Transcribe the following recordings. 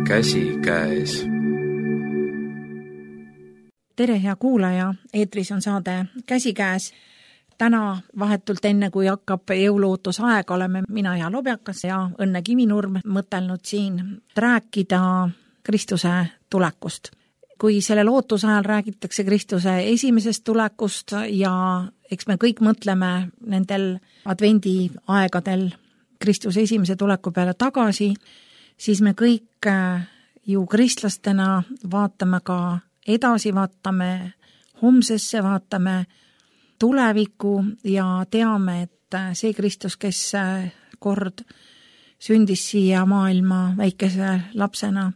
käsikäes. Tere, hea kuulaja, eetris on saade Käsikäes. Täna vahetult enne, kui hakkab jõuluootusaeg, oleme mina ja Lobjakas ja Õnne Kivinurm mõtelnud siin rääkida Kristuse tulekust. Kui sellel ootusajal räägitakse Kristuse esimesest tulekust ja eks me kõik mõtleme nendel advendi aegadel Kristuse esimese tuleku peale tagasi, siis me kõik ju kristlastena vaatame ka edasi, vaatame homsesse, vaatame tulevikku ja teame, et see Kristus, kes kord sündis siia maailma väikese lapsena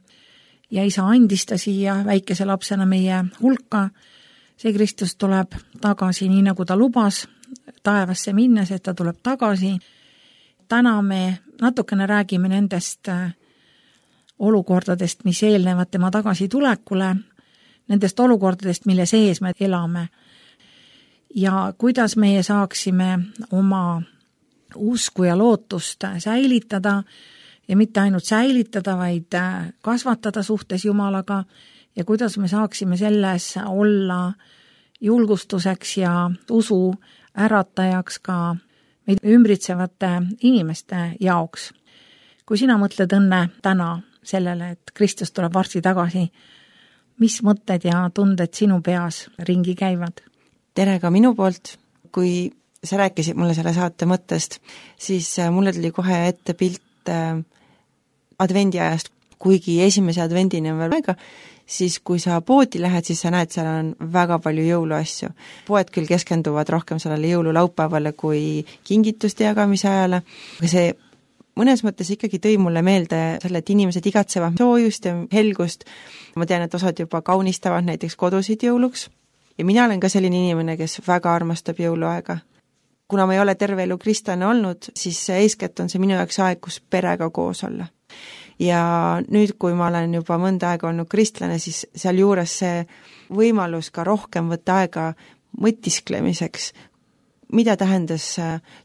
ja isa andis ta siia väikese lapsena meie hulka, see Kristus tuleb tagasi nii, nagu ta lubas taevasse minnes, et ta tuleb tagasi. Täna me natukene räägime nendest olukordadest, mis eelnevad tema tagasitulekule, nendest olukordadest, mille sees me elame ja kuidas meie saaksime oma usku ja lootust säilitada ja mitte ainult säilitada, vaid kasvatada suhtes Jumalaga ja kuidas me saaksime selles olla julgustuseks ja usu äratajaks ka meid ümbritsevate inimeste jaoks. Kui sina mõtled, Õnne, täna sellele, et Kristus tuleb varsti tagasi, mis mõtted ja tunded sinu peas ringi käivad? Tere ka minu poolt. Kui sa rääkisid mulle selle saate mõttest, siis mulle tuli kohe ette pilt advendiajast, kuigi esimese advendini on veel aega, siis kui sa poodi lähed, siis sa näed, seal on väga palju jõuluasju. Poed küll keskenduvad rohkem sellele jõululaupäevale kui kingituste jagamise ajale, aga see mõnes mõttes ikkagi tõi mulle meelde selle, et inimesed igatsevad soojust ja helgust. Ma tean, et osad juba kaunistavad näiteks kodusid jõuluks ja mina olen ka selline inimene, kes väga armastab jõuluaega. Kuna ma ei ole terve elu kristlane olnud, siis eeskätt on see minu jaoks aeg, kus perega koos olla. Ja nüüd, kui ma olen juba mõnda aega olnud kristlane, siis seal juures see võimalus ka rohkem võtta aega mõtisklemiseks, mida tähendas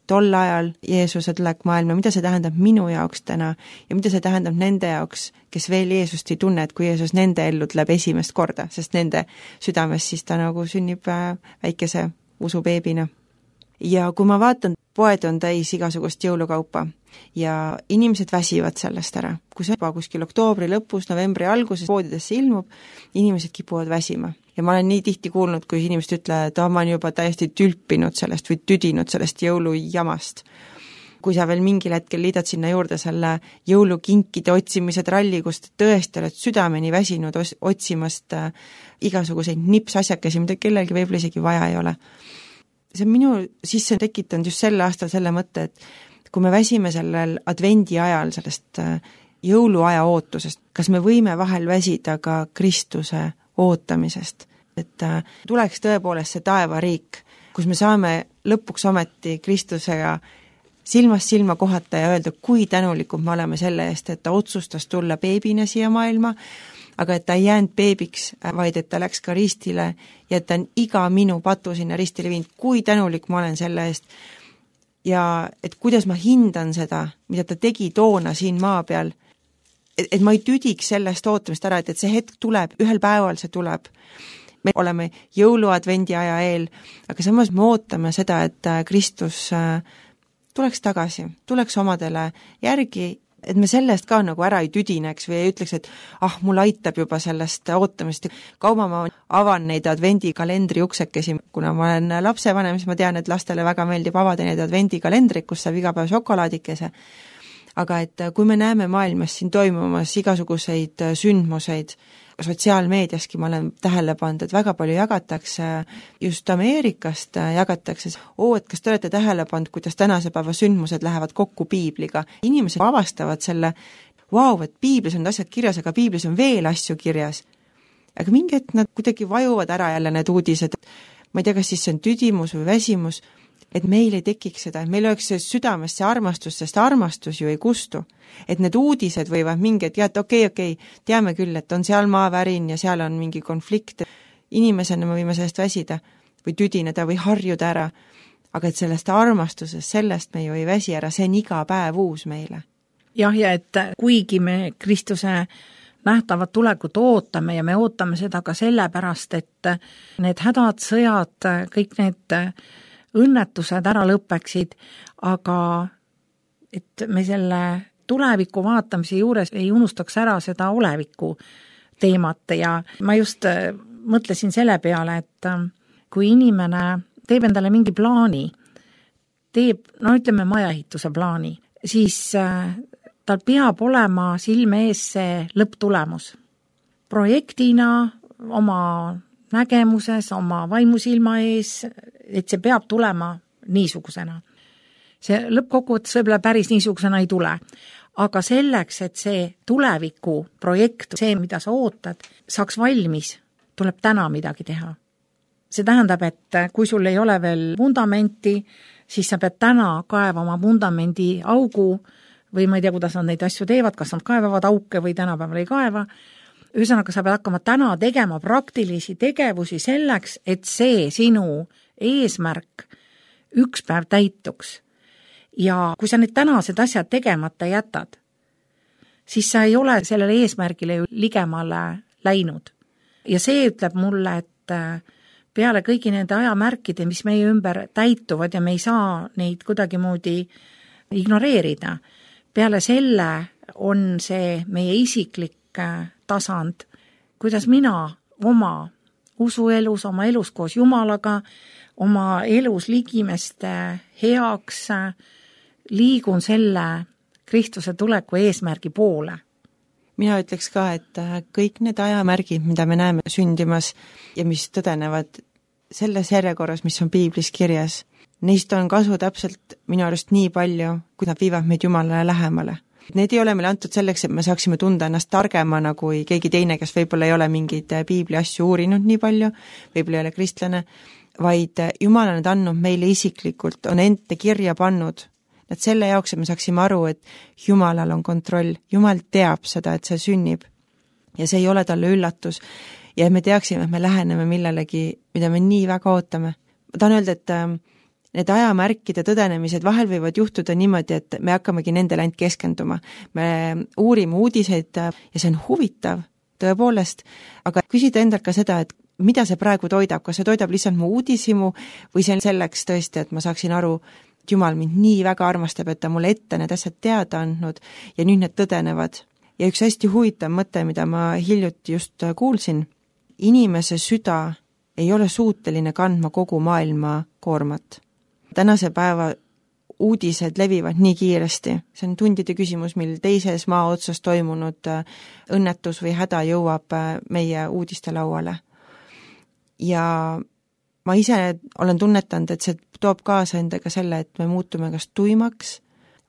tol ajal Jeesuse tulek maailma, mida see tähendab minu jaoks täna ja mida see tähendab nende jaoks, kes veel Jeesust ei tunne, et kui Jeesus nende ellu tuleb esimest korda, sest nende südames siis ta nagu sünnib väikese usubeebina. Ja kui ma vaatan, poed on täis igasugust jõulukaupa ja inimesed väsivad sellest ära. Kui see juba kuskil oktoobri lõpus, novembri alguses poodidesse ilmub, inimesed kipuvad väsima. Ja ma olen nii tihti kuulnud, kui inimesed ütlevad, et ma olen juba täiesti tülpinud sellest või tüdinud sellest jõulujamast. Kui sa veel mingil hetkel liidad sinna juurde selle jõulukinkide otsimise tralli, kus tõesti oled südameni väsinud otsimast igasuguseid nipsasjakesi, mida kellelgi võib isegi vaja ei ole. See on minu sisse tekitanud just sel aastal selle mõtte, et kui me väsime sellel advendi ajal sellest jõuluaja ootusest, kas me võime vahel väsida ka Kristuse ootamisest, et tuleks tõepoolest see taevariik, kus me saame lõpuks ometi Kristusega silmast silma kohata ja öelda, kui tänulikud me oleme selle eest, et ta otsustas tulla beebina siia maailma, aga et ta ei jäänud beebiks, vaid et ta läks ka ristile ja et ta on iga minu patu sinna ristile viinud, kui tänulik ma olen selle eest ja et kuidas ma hindan seda, mida ta tegi toona siin maa peal, et ma ei tüdiks sellest ootamist ära, et see hetk tuleb, ühel päeval see tuleb. Me oleme jõuluadvendi aja eel, aga samas me ootame seda, et Kristus tuleks tagasi, tuleks omadele järgi, et me sellest ka nagu ära ei tüdineks või ei ütleks, et mul aitab juba sellest ootamist. Kaua ma avan neid advendikalendri uksekesi, kuna ma olen lapsevanem, siis ma tean, et lastele väga meeldib avada neid advendikalendrid, kus saab iga päev šokolaadikese. Aga et kui me näeme maailmas siin toimumas igasuguseid sündmuseid, sotsiaalmeediaski ma olen tähele pannud, et väga palju jagatakse, just Ameerikast jagatakse, et kas te olete tähele pannud, kuidas tänase päeva sündmused lähevad kokku piibliga. Inimesed avastavad selle, et piiblis on asjad kirjas, aga piiblis on veel asju kirjas. Aga mingi hetk nad kuidagi vajuvad ära jälle need uudised. Ma ei tea, kas siis see on tüdimus või väsimus, et meil ei tekiks seda, et meil oleks südames see armastus, sest armastus ju ei kustu. Et need uudised võivad mingi, et okei, teame küll, et on seal maavärin ja seal on mingi konflikt. Inimesena me võime sellest väsida või tüdineda või harjuda ära. Aga et sellest armastusest, sellest me ju ei väsi ära, see on iga päev uus meile. Jah, ja et kuigi me Kristuse nähtavat tulekut ootame ja me ootame seda ka sellepärast, et need hädad, sõjad, kõik need õnnetused ära lõpeksid, aga et me selle tuleviku vaatamise juures ei unustaks ära seda oleviku teemat ja ma just mõtlesin selle peale, et kui inimene teeb endale mingi plaani, teeb, no ütleme majaehituse plaani, siis tal peab olema silme ees see lõpptulemus. Projektina, oma nägemuses, oma vaimusilma ees, et see peab tulema niisugusena. See lõppkokkuvõttes võib-olla päris niisugusena ei tule. Aga selleks, et see tuleviku projekt, see, mida sa ootad, saaks valmis, tuleb täna midagi teha. See tähendab, et kui sul ei ole veel vundamenti, siis sa pead täna kaevama vundamendi augu või ma ei tea, kuidas nad neid asju teevad, kas nad kaevavad auke või tänapäeval ei kaeva. Ühesõnaga, sa pead hakkama täna tegema praktilisi tegevusi selleks, et see sinu eesmärk üks päev täituks. Ja kui sa need tänased asjad tegemata jätad, siis sa ei ole sellele eesmärgile ju ligemale läinud. Ja see ütleb mulle, et peale kõigi nende ajamärkide, mis meie ümber täituvad ja me ei saa neid kuidagimoodi ignoreerida, peale selle on see meie isiklik tasand, kuidas mina oma usuelus, oma elus koos Jumalaga, oma elus ligimeste heaks liigun selle Kristuse tuleku eesmärgi poole. Mina ütleks ka, et kõik need ajamärgid, mida me näeme sündimas ja mis tõdenevad selles järjekorras, mis on piiblis kirjas, neist on kasu täpselt minu arust nii palju, kui nad viivad meid Jumalale lähemale. Need ei ole meile antud selleks, et me saaksime tunda ennast targemana kui keegi teine, kes võib-olla ei ole mingeid piibli asju uurinud nii palju, võib-olla ei ole kristlane, vaid Jumal on need andnud meile isiklikult, on ente kirja pannud. Nad selle jaoks, et me saaksime aru, et Jumalal on kontroll, Jumal teab seda, et see sünnib ja see ei ole talle üllatus ja me teaksime, et me läheneme millelegi, mida me nii väga ootame. Ma tahan öelda, et need ajamärkide tõdenemised vahel võivad juhtuda niimoodi, et me hakkamegi nendele ainult keskenduma. Me uurime uudiseid ja see on huvitav, tõepoolest, aga küsida endalt ka seda, et mida see praegu toidab, kas see toidab lihtsalt mu uudisimu või see on selleks tõesti, et ma saaksin aru, et Jumal mind nii väga armastab, et ta mulle ette need asjad teada andnud ja nüüd need tõdenevad. Ja üks hästi huvitav mõte, mida ma hiljuti just kuulsin, inimese süda ei ole suuteline kandma kogu maailma koormat. Tänase päeva uudised levivad nii kiiresti. See on tundide küsimus, mil teises maa otsas toimunud õnnetus või häda jõuab meie uudiste lauale. Ja ma ise olen tunnetanud, et see toob kaasa endaga selle, et me muutume kas tuimaks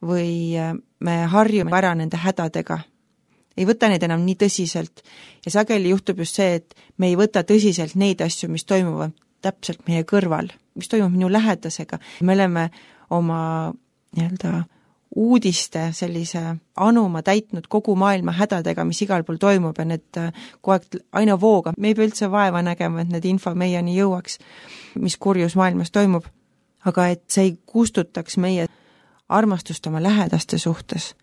või me harjume ära nende hädadega. Ei võta neid enam nii tõsiselt. Ja sageli juhtub just see, et me ei võta tõsiselt neid asju, mis toimuvad täpselt meie kõrval, mis toimub minu lähedasega. Me oleme oma uudiste sellise anuma täitnud kogu maailma hädadega, mis igal pool toimub ja need kogu aeg aina vooga. Me ei pea üldse vaeva nägema, et need info meieni jõuaks, mis kurjus maailmas toimub. Aga et see ei kustutaks meie armastust oma lähedaste suhtes.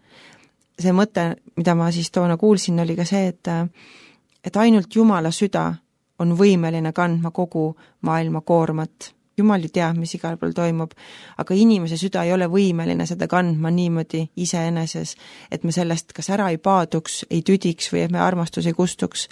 See mõte, mida ma siis toona kuulsin, oli ka see, et ainult Jumala süda on võimeline kandma kogu maailma koormat. Jumal ju teab, mis igal pool toimub, aga inimese süda ei ole võimeline seda kandma niimoodi iseeneses, et me sellest kas ära ei paaduks, ei tüdiks või et me armastus ei kustuks.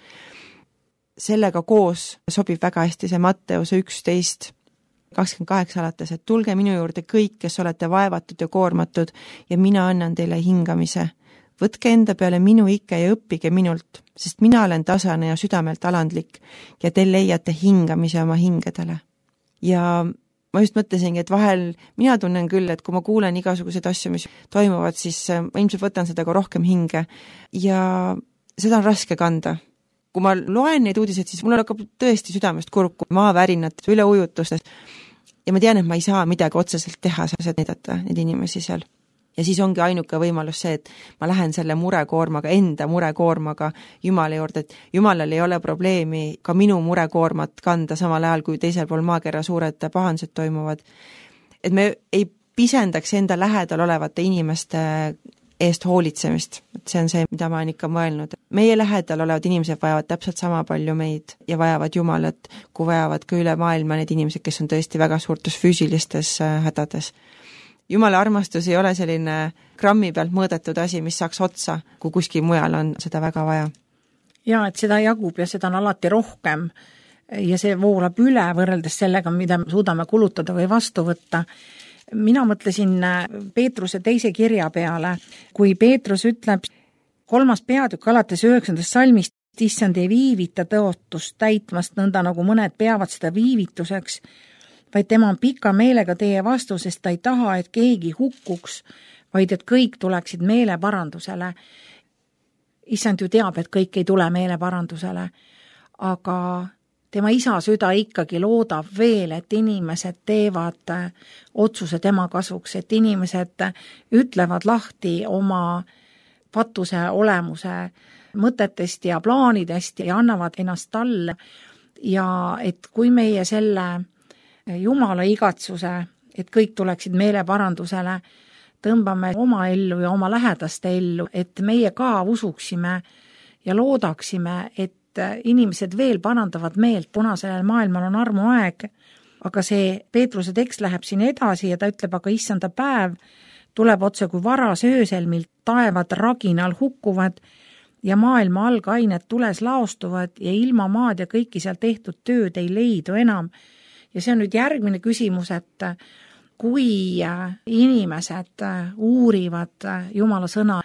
Sellega koos sobib väga hästi see Matteuse 11:28 alates, et tulge minu juurde kõik, kes olete vaevatud ja koormatud ja mina annan teile hingamise. Võtke enda peale minu ikke ja õppige minult, sest mina olen tasane ja südamelt alandlik ja te leiate hingamise oma hingedele. Ja ma just mõtlesingi, et vahel mina tunnen küll, et kui ma kuulen igasuguseid asju, mis toimuvad, siis ma ilmselt võtan seda ka rohkem hinge ja seda on raske kanda. Kui ma loen neid uudiseid, siis mul hakkab tõesti südamest kurku maavärinad, üleujutustes ja ma tean, et ma ei saa midagi otseselt teha, saab näidata neid inimesi seal. Ja siis ongi ainuke võimalus see, et ma lähen selle murekoormaga, enda murekoormaga Jumala juurde, et Jumalal ei ole probleemi ka minu murekoormat kanda samal ajal, kui teisel pool maakera suured pahandused toimuvad. Et me ei pisendaks enda lähedal olevate inimeste eest hoolitsemist. Et see on see, mida ma olen ikka mõelnud. meie lähedal olevad inimesed vajavad täpselt sama palju meid ja vajavad Jumalat, kui vajavad ka üle maailma need inimesed, kes on tõesti väga suurtes füüsilistes hädades. Jumala armastus ei ole selline grammi pealt mõõdetud asi, mis saaks otsa, kui kuskil mujal on seda väga vaja. Ja, et seda jagub ja seda on alati rohkem ja see voolab üle võrreldes sellega, mida suudame kulutada või vastu võtta. Mina mõtlesin Peetruse teise kirja peale, kui Peetrus ütleb 3. peatükk alates 9. salmist, issand ei viivita tõotust täitmast nõnda, nagu mõned peavad seda viivituseks, vaid tema on pika meelega teie vastu, sest ta ei taha, et keegi hukkuks, vaid et kõik tuleksid meeleparandusele. Issand ju teab, et kõik ei tule meeleparandusele, aga tema isa süda ikkagi loodab veel, et inimesed teevad otsuse tema kasuks, et inimesed ütlevad lahti oma patuse olemuse mõtetest ja plaanidest ja annavad ennast talle ja et kui meie selle Jumala igatsuse, et kõik tuleksid meeleparandusele, tõmbame oma ellu ja oma lähedaste ellu, et meie ka usuksime ja loodaksime, et inimesed veel parandavad meelt, kuna sellel maailmal on armuaeg, aga see Peetruse tekst läheb siin edasi ja ta ütleb, aga issanda päev tuleb otse kui varas öösel, mil taevad raginal hukkuvad ja maailma algained tules laostuvad ja ilma maad ja kõiki seal tehtud tööd ei leidu enam. Ja see on nüüd järgmine küsimus, et kui inimesed uurivad Jumala sõna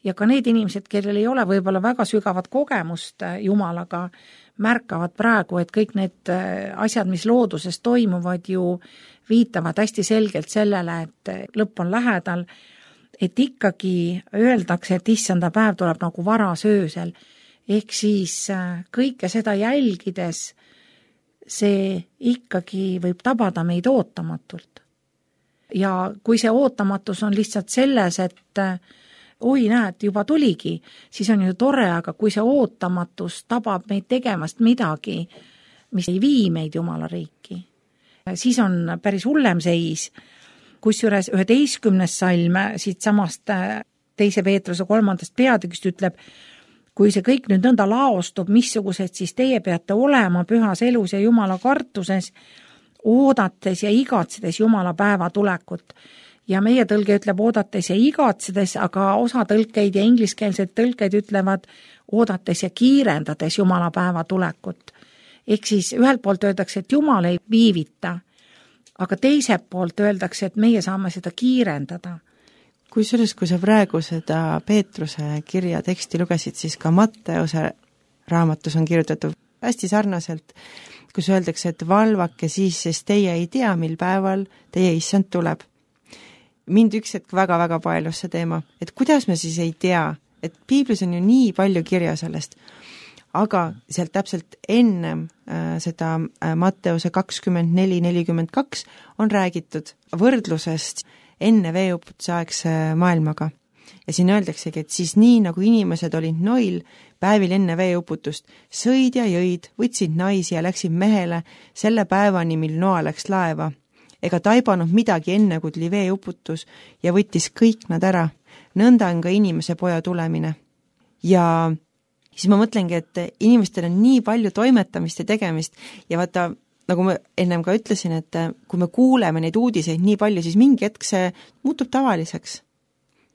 ja ka need inimesed, kellel ei ole võib-olla väga sügavat kogemust Jumalaga, märkavad praegu, et kõik need asjad, mis looduses toimuvad, ju viitavad hästi selgelt sellele, et lõpp on lähedal, et ikkagi öeldakse, et issanda päev tuleb nagu varas öösel. Ehk siis kõike seda jälgides see ikkagi võib tabada meid ootamatult. Ja kui see ootamatus on lihtsalt selles, et oi näed, juba tuligi, siis on ju tore, aga kui see ootamatus tabab meid tegemast midagi, mis ei vii meid Jumala riiki, siis on päris hullem seis. Kusjuures 11. salm siit samast 2. Peetruse 3. peatükist ütleb, kui see kõik nüüd nõnda laostub, missugused siis teie peate olema pühas elus ja Jumala kartuses, oodates ja igatsedes Jumala päeva tulekut. Ja meie tõlge ütleb oodates ja igatsedes, aga osa tõlkeid ja ingliskeelsed tõlkeid ütlevad oodates ja kiirendades Jumala päeva tulekut. Ehk siis ühelt poolt öeldakse, et Jumal ei viivita, aga teiselt poolt öeldakse, et meie saame seda kiirendada. Kui sa praegu seda Peetruse kirja teksti lugesid, siis ka Matteuse raamatus on kirjutatud hästi sarnaselt, kus öeldakse, et valvake siis, sest teie ei tea, mil päeval teie issand tuleb. Mind üks hetk väga-väga paelus see teema, et kuidas me siis ei tea, et piiblis on ju nii palju kirja sellest, aga sealt täpselt ennem seda Matteuse 24:42 on räägitud võrdlusest enne veeuputuse aegse maailmaga. Ja siin öeldaksegi, et siis nii nagu inimesed olid Noil päevil enne veeuputust, sõid ja jõid, võtsid naisi ja läksid mehele selle päevani, mil Noa läks laeva. Ega taibanud midagi enne, kui tuli veeuputus ja võttis kõik nad ära. Nõnda on ka inimese poja tulemine. Ja siis ma mõtlengi, et inimestel on nii palju toimetamist ja tegemist ja vaata, nagu ma ennem ka ütlesin, et kui me kuuleme neid uudiseid nii palju, siis mingi hetk see muutub tavaliseks.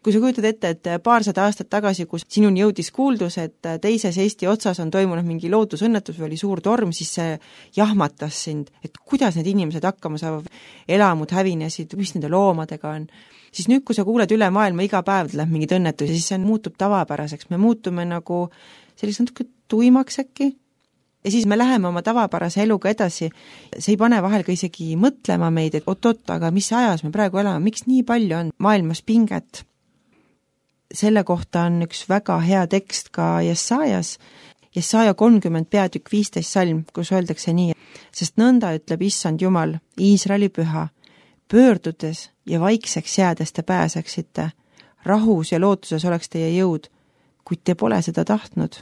Kui sa kujutad ette, et paarsada aastat tagasi, kus sinuni jõudis kuuldus, et teises Eesti otsas on toimunud mingi loodusõnnetus või oli suur torm, siis see jahmatas sind, et kuidas need inimesed hakkama saavad, elamud hävinesid, mis nende loomadega on. Siis nüüd, kui sa kuuled üle maailma, iga päev läheb mingid õnnetusi, siis see muutub tavapäraseks. Me muutume nagu sellist natuke tuimaks äkki. Ja siis me läheme oma tavapärase eluga edasi. See ei pane vahel ka isegi mõtlema meid, et oot, aga mis ajas me praegu elame, miks nii palju on maailmas pinget? Selle kohta on üks väga hea tekst ka Jesajas 30 peatükk 15 salm, kus öeldakse nii, sest nõnda ütleb issand Jumal, Iisraeli püha, pöördudes ja vaikseks jäädes te pääseksite, rahus ja lootuses oleks teie jõud, kuid te pole seda tahtnud.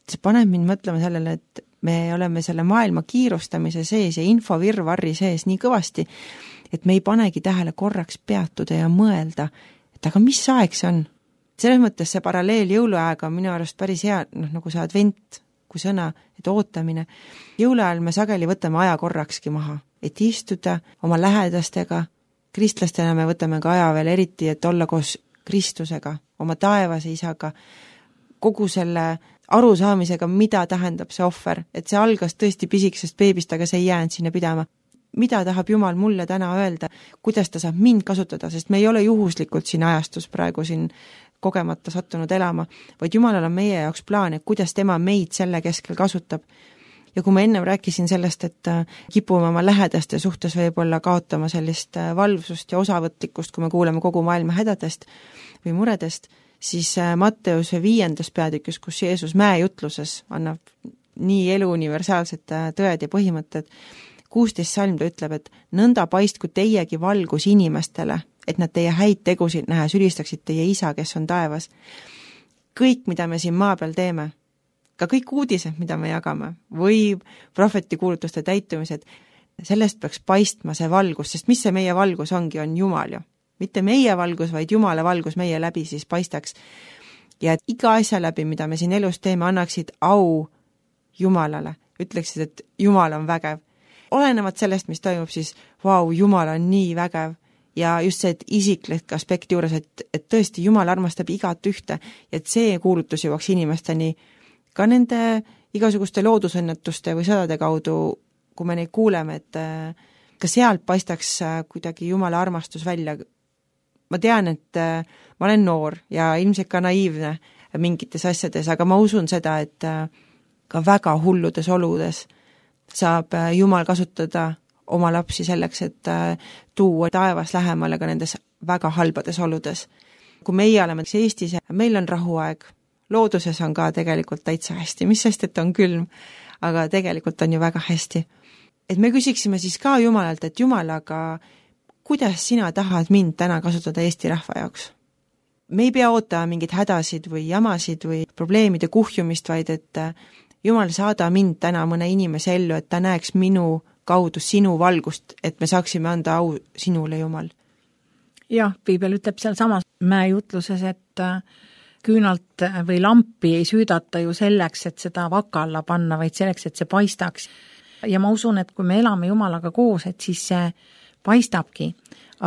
See paneb mind mõtlema sellele, et me oleme selle maailma kiirustamise sees ja infovirvarri sees nii kõvasti, et me ei panegi tähele korraks peatuda ja mõelda, et aga mis aeg see on? selles mõttes see paralleel jõuluaega on minu arust päris hea, nagu see advent kui sõna, et ootamine. Jõuluajal me sageli võtame aja korrakski maha, et istuda oma lähedastega, kristlastena me võtame ka aja veel eriti, et olla koos Kristusega, oma taevase isaga, kogu selle arusaamisega, mida tähendab see ohver, et see algas tõesti pisikesest beebist, aga see ei jäänud sinna pidama. Mida tahab Jumal mulle täna öelda, kuidas ta saab mind kasutada, sest me ei ole juhuslikult siin ajastus praegu siin kogemata sattunud elama, vaid Jumalal on meie jaoks plaan, et kuidas tema meid selle keskel kasutab. Ja kui ma ennem rääkisin sellest, et kipume oma lähedaste suhtes võib-olla kaotama sellist valvsust ja osavõtlikkust, kui me kuuleme kogu maailma hädadest või muredest, siis Matteuse 5. peatükis, kus Jeesus mäejutluses annab nii elu universaalsed tõed ja põhimõtted, 16 salm ta ütleb, et nõnda paistku teiegi valgus inimestele, et nad teie häid tegusid nähes ülistaksid teie isa, kes on taevas. Kõik, mida me siin maa peal teeme, ka kõik uudised, mida me jagame, või prohvetikuulutuste täitumised, sellest peaks paistma see valgus, sest mis see meie valgus ongi, on Jumal ju. Mitte meie valgus, vaid Jumala valgus meie läbi siis paistaks. Ja et iga asja läbi, mida me siin elus teeme, annaksid au Jumalale. Ütleksid, et Jumal on vägev. Olenevad sellest, mis toimub, siis Jumal on nii vägev. Ja just see, et isiklik aspekti juures, et tõesti Jumal armastab igat ühte, ja et see kuulutus jõuaks inimesteni ka nende igasuguste loodusõnnetuste või sõdade kaudu, kui me neid kuuleme, et ka sealt paistaks kuidagi Jumala armastus välja. Ma tean, et ma olen noor ja ilmselt ka naiivne mingites asjades, aga ma usun seda, et ka väga hulludes oludes saab Jumal kasutada oma lapsi selleks, et tuua taevas lähemale ka nendes väga halbades oludes. Kui meie oleme Eestis, meil on rahuaeg, looduses on ka tegelikult täitsa hästi, mis sest, et on külm, aga tegelikult on ju väga hästi. Et me küsiksime siis ka Jumalalt, et Jumal, aga kuidas sina tahad mind täna kasutada Eesti rahva jaoks? Me ei pea ootama mingid hädasid või jamasid või probleemide kuhjumist, vaid et Jumal, saada mind täna mõne inimese ellu, et ta näeks minu kaudu sinu valgust, et me saaksime anda au sinule, Jumal. Jah, Piibel ütleb seal samas mäejutluses, et küünalt või lampi ei süüdata ju selleks, et seda vaka alla panna, vaid selleks, et see paistaks. Ja ma usun, et kui me elame Jumalaga koos, et siis see paistabki.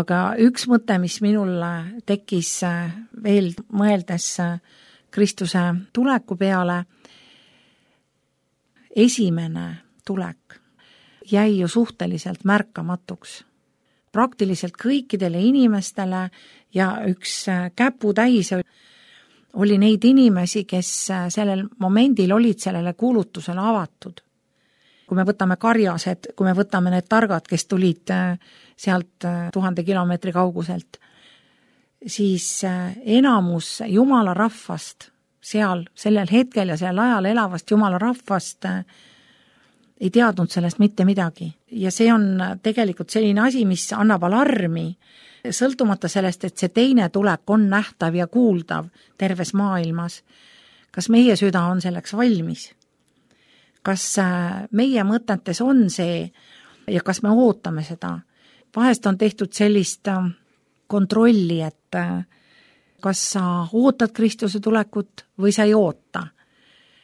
Aga üks mõte, mis minul tekkis veel mõeldes Kristuse tuleku peale, esimene tulek jäi ju suhteliselt märkamatuks. Praktiliselt kõikidele inimestele ja üks käputäis oli neid inimesi, kes sellel momendil olid sellele kuulutusele avatud. Kui me võtame karjased, kui me võtame need targad, kes tulid sealt 1000 kilomeetri kauguselt, siis enamus Jumala rahvast seal sellel hetkel ja sellel ajal elavast Jumala rahvast ei teadnud sellest mitte midagi. Ja see on tegelikult selline asi, mis annab alarmi, sõltumata sellest, et see teine tulek on nähtav ja kuuldav terves maailmas. Kas meie süda on selleks valmis? Kas meie mõtetes on see ja kas me ootame seda? Vahest on tehtud sellist kontrolli, et kas sa ootad Kristuse tulekut või sa ei oota.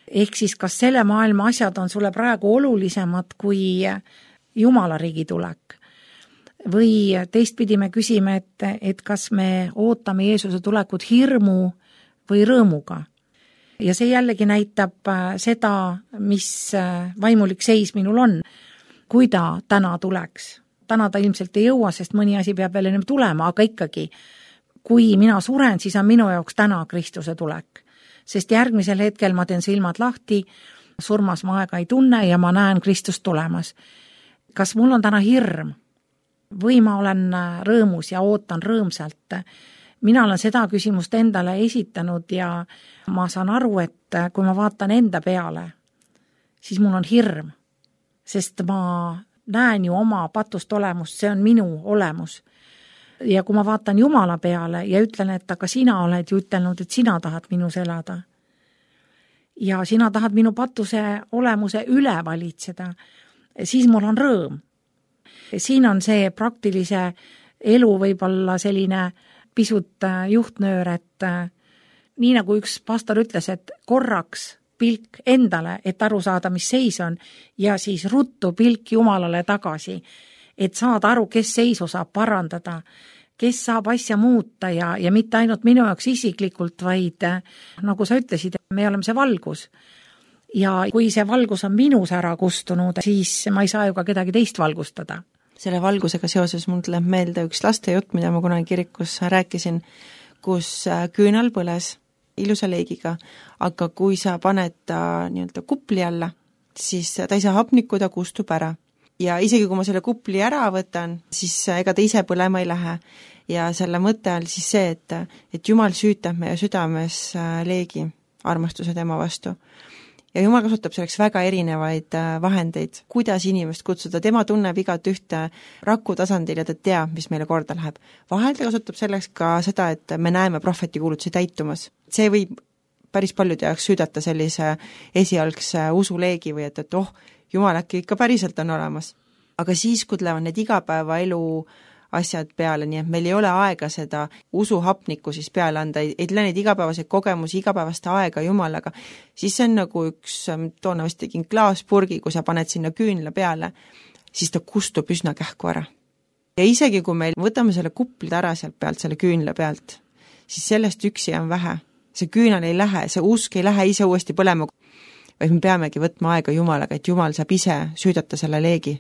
Ehk siis, kas selle maailma asjad on sulle praegu olulisemad kui Jumala riigi tulek? Või teistpidi me küsime, et kas me ootame Jeesuse tulekut hirmu või rõõmuga? Ja see jällegi näitab seda, mis vaimulik seis minul on. Kui ta täna tuleks, täna ta ilmselt ei jõua, sest mõni asi peab veel ennem tulema, aga ikkagi, kui mina suren, siis on minu jaoks täna Kristuse tulek. Sest järgmisel hetkel ma teen silmad lahti, surmas ma aega ei tunne ja ma näen Kristust tulemas. Kas mul on täna hirm? Või ma olen rõõmus ja ootan rõõmsalt? Mina olen seda küsimust endale esitanud ja ma saan aru, et kui ma vaatan enda peale, siis mul on hirm. Sest ma näen ju oma patust olemust, see on minu olemus. Ja kui ma vaatan Jumala peale ja ütlen, et aga sina oled ju ütelnud, et sina tahad minus elada. Ja sina tahad minu patuse olemuse üle valitseda, siis mul on rõõm. Siin on see praktilise elu võib-olla selline pisut juhtnöör, et nii nagu üks pastor ütles, et korraks pilk endale, et aru saada, mis seis on, ja siis ruttu pilk Jumalale tagasi, et saada aru, kes seisu saab parandada, kes saab asja muuta ja mitte ainult minu jaoks isiklikult, vaid nagu sa ütlesid, me oleme see valgus. Ja kui see valgus on minus ära kustunud, siis ma ei saa ju ka kedagi teist valgustada. Selle valgusega seoses mul tuleb meelde üks lastejutt, mida ma kunagi kirikus rääkisin, kus küünal põles ilusa leegiga, aga kui sa paned ta nii-öelda kupli alla, siis ta ei saa hapnikku, ta kustub ära. Ja isegi kui ma selle kupli ära võtan, siis ega ta ise põlema ei lähe. Ja selle mõte on siis see, et Jumal süütab meie südames leegi, armastuse tema vastu. Ja Jumal kasutab selleks väga erinevaid vahendeid, kuidas inimest kutsuda. Tema tunneb igat ühte raku tasandil ja ta teab, mis meile korda läheb. Vahel ta kasutab selleks ka seda, et me näeme prohvetikuulutusi täitumas. See võib päris paljude jaoks süüdata sellise esialgse usuleegi või et Jumal äkki ikka päriselt on olemas. Aga siis, kui tulevad need igapäevaelu asjad peale, nii et meil ei ole aega seda usuhapnikku siis peale anda, ei tule neid igapäevaseid kogemusi, igapäevast aega Jumalaga, siis see on nagu üks, toona vist tegin klaaspurgi, kui sa paned sinna küünla peale, siis ta kustub üsna kähku ära. Ja isegi kui meil võtame selle kuplid ära sealt pealt, selle küünla pealt, siis sellest üksi on vähe. See küünal ei lähe, see usk ei lähe ise uuesti põlema, vaid me peamegi võtma aega Jumalaga, et Jumal saab ise süüdata selle leegi.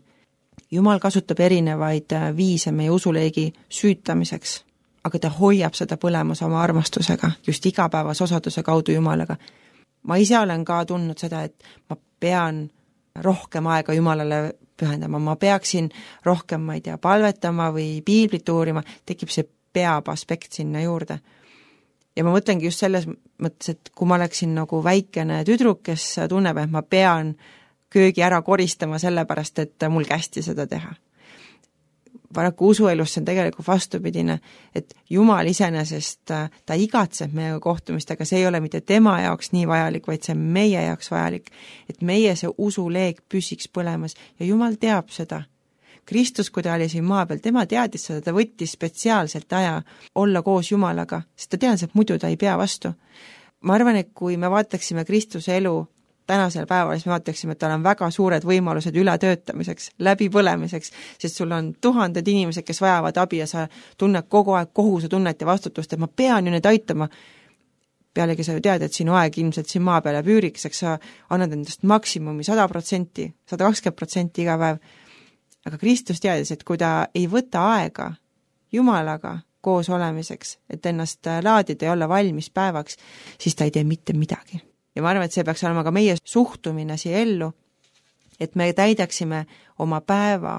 Jumal kasutab erinevaid viise meie usuleegi süütamiseks, aga ta hoiab seda põlemas oma armastusega, just igapäevas osaduse kaudu Jumalaga. Ma ise olen ka tundnud seda, et ma pean rohkem aega Jumalale pühendama, ma peaksin rohkem, ma ei tea, palvetama või piiblit uurima, tekib see peab aspekt sinna juurde. Ja ma mõtlengi just selles mõttes, et kui ma oleksin nagu väikene tüdruk, kes tunneb, et ma pean köögi ära koristama sellepärast, et mul kästi seda teha. Paraku usuelus see on tegelikult vastupidine, et Jumal iseenesest, ta igatseb meiega kohtumist, aga see ei ole mitte tema jaoks nii vajalik, vaid see on meie jaoks vajalik, et meie see usuleeg püsiks põlemas ja Jumal teab seda. Kristus, kui ta oli siin maa peal, tema teadis seda, ta võttis spetsiaalselt aja olla koos Jumalaga, sest ta teadis, et muidu ta ei pea vastu. Ma arvan, et kui me vaataksime Kristuse elu tänasel päeval, siis me vaataksime, et tal on väga suured võimalused ületöötamiseks, läbipõlemiseks, sest sul on tuhanded inimesed, kes vajavad abi ja sa tunned kogu aeg kohusetunnet ja vastutust, et ma pean ju need aitama. Pealegi sa ju tead, et sinu aeg ilmselt siin maa peale püüriks, eks sa annad endast maksimumi 100%, 120% iga päev. Aga Kristus teadis, et kui ta ei võta aega Jumalaga koos olemiseks, et ennast laadida ja olla valmis päevaks, siis ta ei tee mitte midagi. Ja ma arvan, et see peaks olema ka meie suhtumine siia ellu, et me täidaksime oma päeva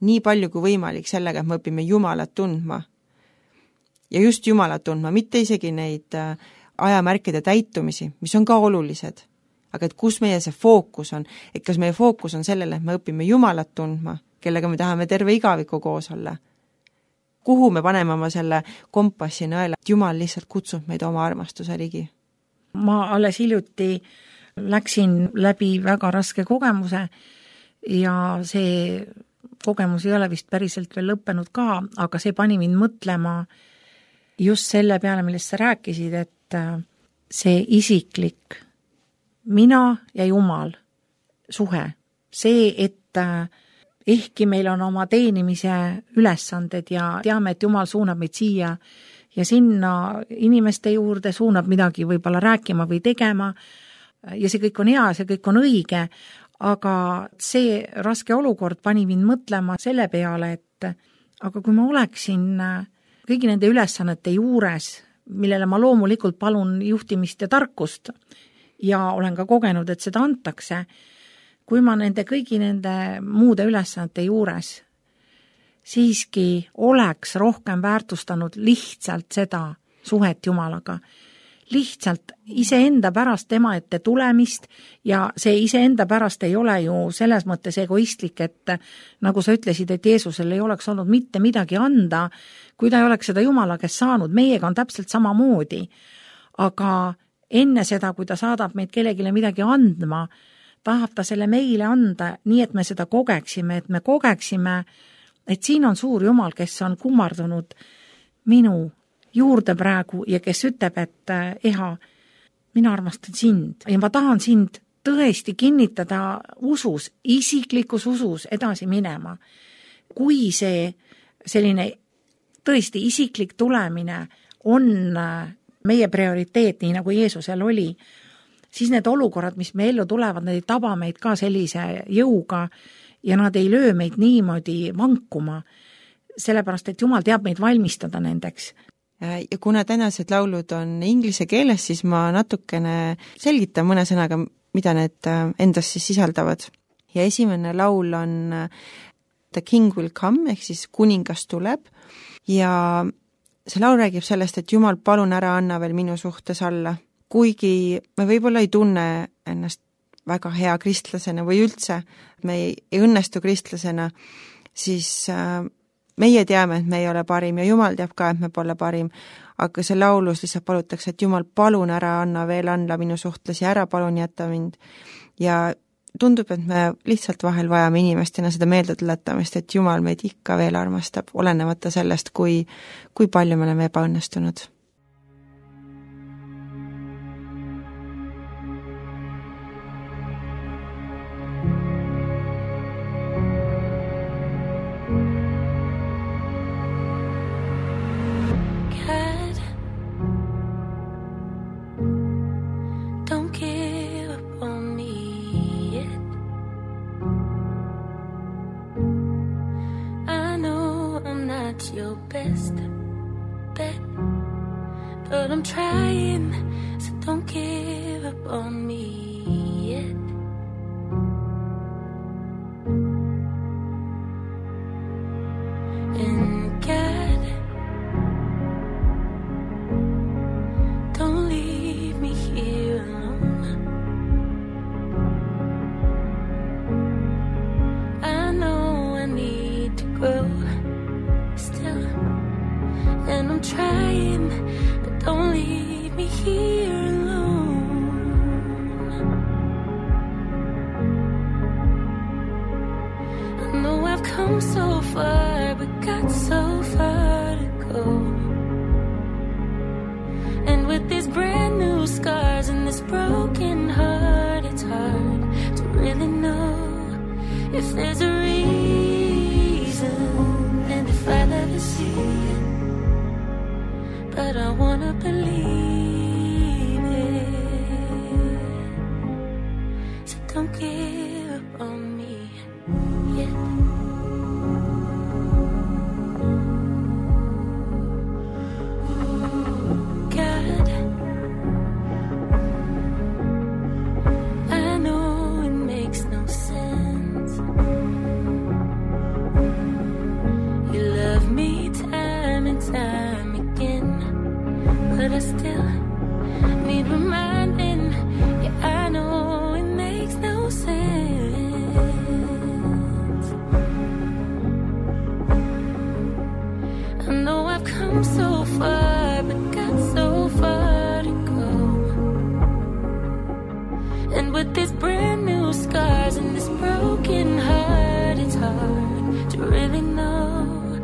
nii palju kui võimalik sellega, et me õpime Jumalat tundma. Ja just Jumalat tundma, mitte isegi neid ajamärkide täitumisi, mis on ka olulised. Aga et kus meie see fookus on, et kas meie fookus on sellele, et me õpime Jumalat tundma, kellega me tahame terve igaviku koos olla. Kuhu me paneme oma selle kompassi nõela, et Jumal lihtsalt kutsub meid oma armastuse ligi. Ma alles hiljuti läksin läbi väga raske kogemuse ja see kogemus ei ole vist päriselt veel lõppenud ka, aga see pani mind mõtlema just selle peale, millest sa rääkisid, et see isiklik mina ja Jumal suhe, see, et ehkki meil on oma teenimise ülesanded ja teame, et Jumal suunab meid siia ja sinna inimeste juurde, suunab midagi võib-olla rääkima või tegema ja see kõik on hea, see kõik on õige, aga see raske olukord pani mind mõtlema selle peale, et aga kui ma oleksin kõigi nende ülesannete juures, millele ma loomulikult palun juhtimist ja tarkust, ja olen ka kogenud, et seda antakse, kui ma kõigi nende muude ülesannete juures siiski oleks rohkem väärtustanud lihtsalt seda suhet Jumalaga. Lihtsalt iseenda pärast tema ette tulemist ja see iseenda pärast ei ole ju selles mõttes egoistlik, et nagu sa ütlesid, et Jeesusel ei oleks olnud mitte midagi anda, kui ta ei oleks seda Jumala käest saanud, meiega on täpselt samamoodi. Aga enne seda, kui ta saadab meid kellegile midagi andma, tahab ta selle meile anda nii, et me seda kogeksime, et siin on suur Jumal, kes on kummardunud minu juurde praegu ja kes ütleb, et Eha, mina armastan sind ja ma tahan sind tõesti kinnitada usus, isiklikus usus edasi minema. Kui see selline tõesti isiklik tulemine on meie prioriteet, nii nagu Jeesusel oli, siis need olukorrad, mis me ellu tulevad, need ei taba meid ka sellise jõuga ja nad ei löö meid niimoodi vankuma, sellepärast, et Jumal teab meid valmistada nendeks. Ja kuna tänased laulud on inglise keeles, siis ma natukene selgitan mõne sõnaga, mida need endas siis sisaldavad. Ja esimene laul on The King Will Come, ehk siis kuningas tuleb, ja see laul räägib sellest, et Jumal, palun ära anna veel minu suhtes alla. Kuigi me võib-olla ei tunne ennast väga hea kristlasena või üldse, me ei õnnestu kristlasena, siis meie teame, et me ei ole parim ja Jumal teab ka, et me pole parim, aga see laulus lihtsalt palutakse, et Jumal, palun ära anna veel alla minu suhtes ja ära palun jätta mind. Ja tundub, et me lihtsalt vahel vajame inimestena seda meelde tuletamist, et Jumal meid ikka veel armastab, olenemata sellest, kui palju me oleme ebaõnnestunud. Your best bet, but I'm trying, so don't give up on me yet. And God, don't leave me here alone. I know I need to grow still, and I'm trying, but don't leave me here alone. I know I've come so far, but got so far to go. And with these brand new scars and this broken heart, it's hard to really know if there's a reason. If I never see it, but I wanna believe it. So don't give up on me yet. God, I know it makes no sense. Love me time and time again, but I still need reminding. Yeah, I know it makes no sense. I know I've come so far, but got so far to go. And with these brand new scars and this broken heart, it's hard to really know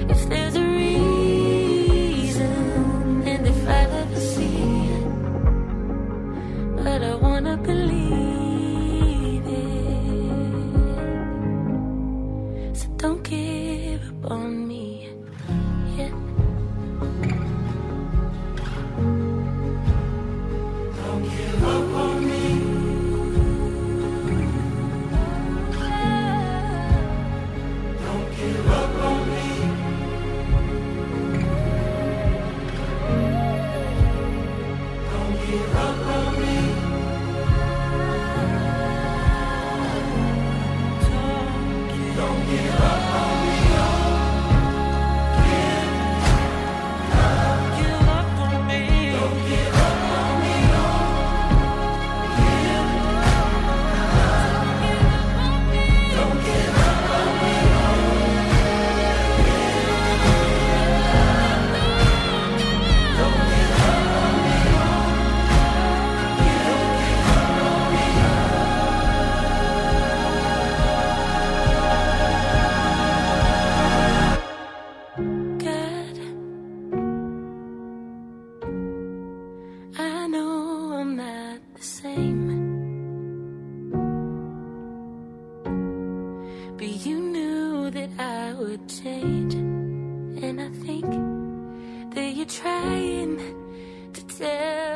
if there's a reason, and if I ever see it,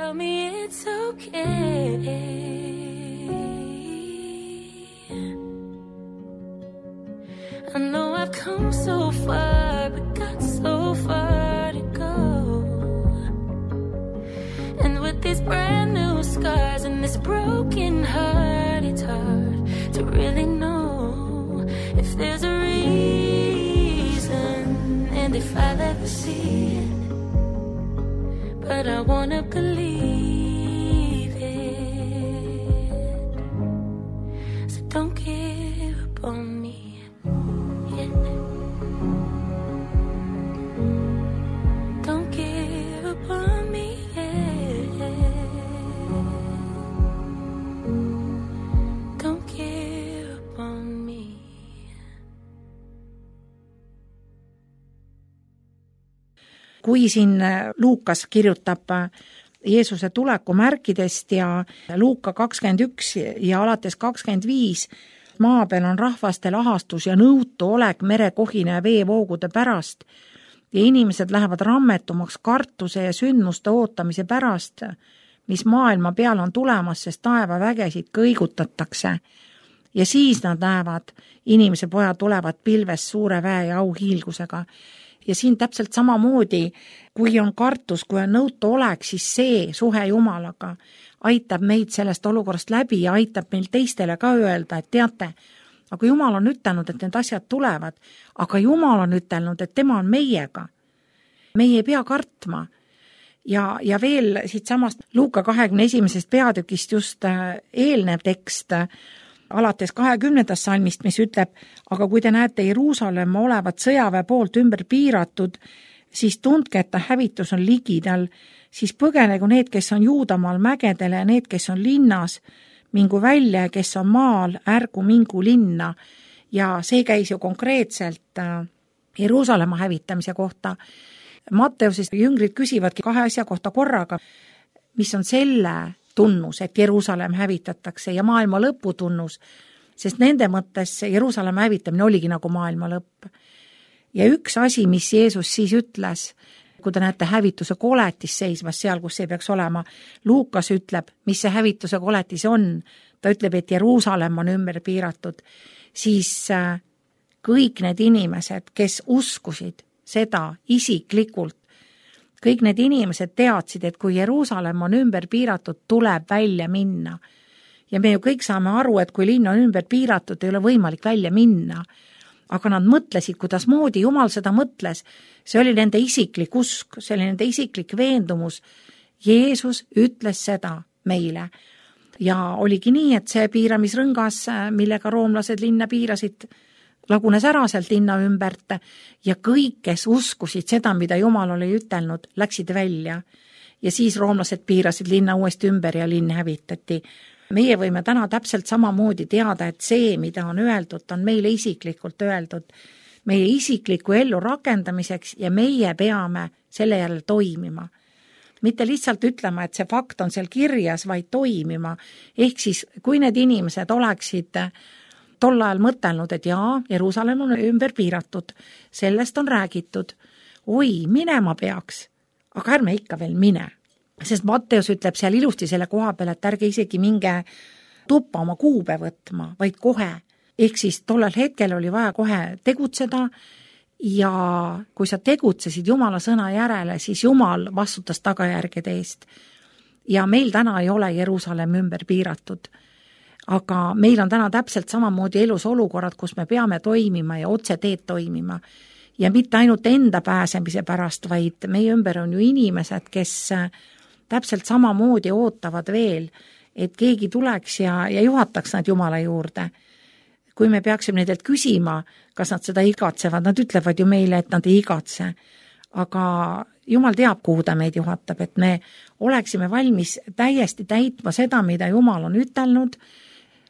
tell me it's okay. I know I've come so far, but got so far to go. And with these brand new scars and this broken heart, it's hard to really know if there's a reason and if I'll ever see it. But I wanna believe it. So don't give up on me. Don't give up on me, Don't give up on me. Kui siin Luukas kirjutab Jeesuse tuleku märkidest ja Luuka 21 ja alates 25, maa peal on rahvaste lahastus ja nõutu olek merekohina ja veevoogude pärast ja inimesed lähevad rammetumaks kartuse ja sündmuste ootamise pärast, mis maailma peal on tulemas, sest taevavägesid kõigutatakse. Ja siis nad näevad, inimese pojad tulevad pilves suure väe ja auhiilgusega. Ja siin täpselt samamoodi, kui on kartus, kui on nõutu olek, siis see suhe Jumalaga aitab meid sellest olukorrast läbi ja aitab meil teistele ka öelda, et teate, aga Jumal on ütelnud, et need asjad tulevad, aga Jumal on ütelnud, et tema on meiega. Meie ei pea kartma. Ja veel siit samast Luuka 21. peatükist just eelnev tekst, alates 20. salmist, mis ütleb, aga kui te näete Jeruusalemma olevat sõjaväe poolt ümber piiratud, siis tundke, et ta hävitus on ligidal, siis põgenegu need, kes on Juudamaal mägedele ja need, kes on linnas, mingu välja ja kes on maal, ärgu mingu linna. Ja see käis ju konkreetselt Jeruusalemma hävitamise kohta. Matteusest jüngrid küsivadki 2 asja kohta korraga, mis on selle tunnus, et Jeruusalemm hävitatakse ja maailma lõpu tunnus, sest nende mõttes Jeruusalemma hävitamine oligi nagu maailma lõpp. Ja üks asi, mis Jeesus siis ütles, kui te näete hävituse koletis seismas seal, kus see peaks olema, Luukas ütleb, mis see hävituse koletis on, ta ütleb, et Jeruusalemm on ümber piiratud, siis kõik need inimesed, kes uskusid seda isiklikult, kõik need inimesed teadsid, et kui Jeruusalemm on ümber piiratud, tuleb välja minna. Ja me ju kõik saame aru, et kui linn on ümber piiratud, ei ole võimalik välja minna. Aga nad mõtlesid, kuidas moodi Jumal seda mõtles. See oli nende isiklik usk, see oli nende isiklik veendumus. Jeesus ütles seda meile. Ja oligi nii, et see piiramisrõngas, millega roomlased linna piirasid, lagunes ära sealt linna ümbert ja kõik, kes uskusid seda, mida Jumal oli ütelnud, läksid välja. Ja siis roomlased piirasid linna uuesti ümber ja linn hävitati. Meie võime täna täpselt samamoodi teada, et see, mida on öeldud, on meile isiklikult öeldud, meie isikliku ellu rakendamiseks ja meie peame selle järel toimima. Mitte lihtsalt ütlema, et see fakt on seal kirjas, vaid toimima. Ehk siis, kui need inimesed oleksid tol ajal mõtelnud, et jaa, Jeruusalemm on ümber piiratud, sellest on räägitud, oi, minema peaks, aga ärme ikka veel mine. Sest Matteus ütleb seal ilusti selle koha peal, et ärge isegi minge tuppa oma kuube võtma, vaid kohe. Ehk siis tollel hetkel oli vaja kohe tegutseda ja kui sa tegutsesid Jumala sõna järele, siis Jumal vastutas tagajärgede eest. Ja meil täna ei ole Jeruusalemm ümber piiratud. Aga meil on täna täpselt samamoodi elus olukorrad, kus me peame toimima ja otse teed toimima. Ja mitte ainult enda pääsemise pärast, vaid meie ümber on ju inimesed, kes täpselt samamoodi ootavad veel, et keegi tuleks ja juhataks nad Jumala juurde. Kui me peaksime nendelt küsima, kas nad seda igatsevad, nad ütlevad ju meile, et nad ei igatse. Aga Jumal teab, kuhu ta meid juhatab, et me oleksime valmis täiesti täitma seda, mida Jumal on ütelnud,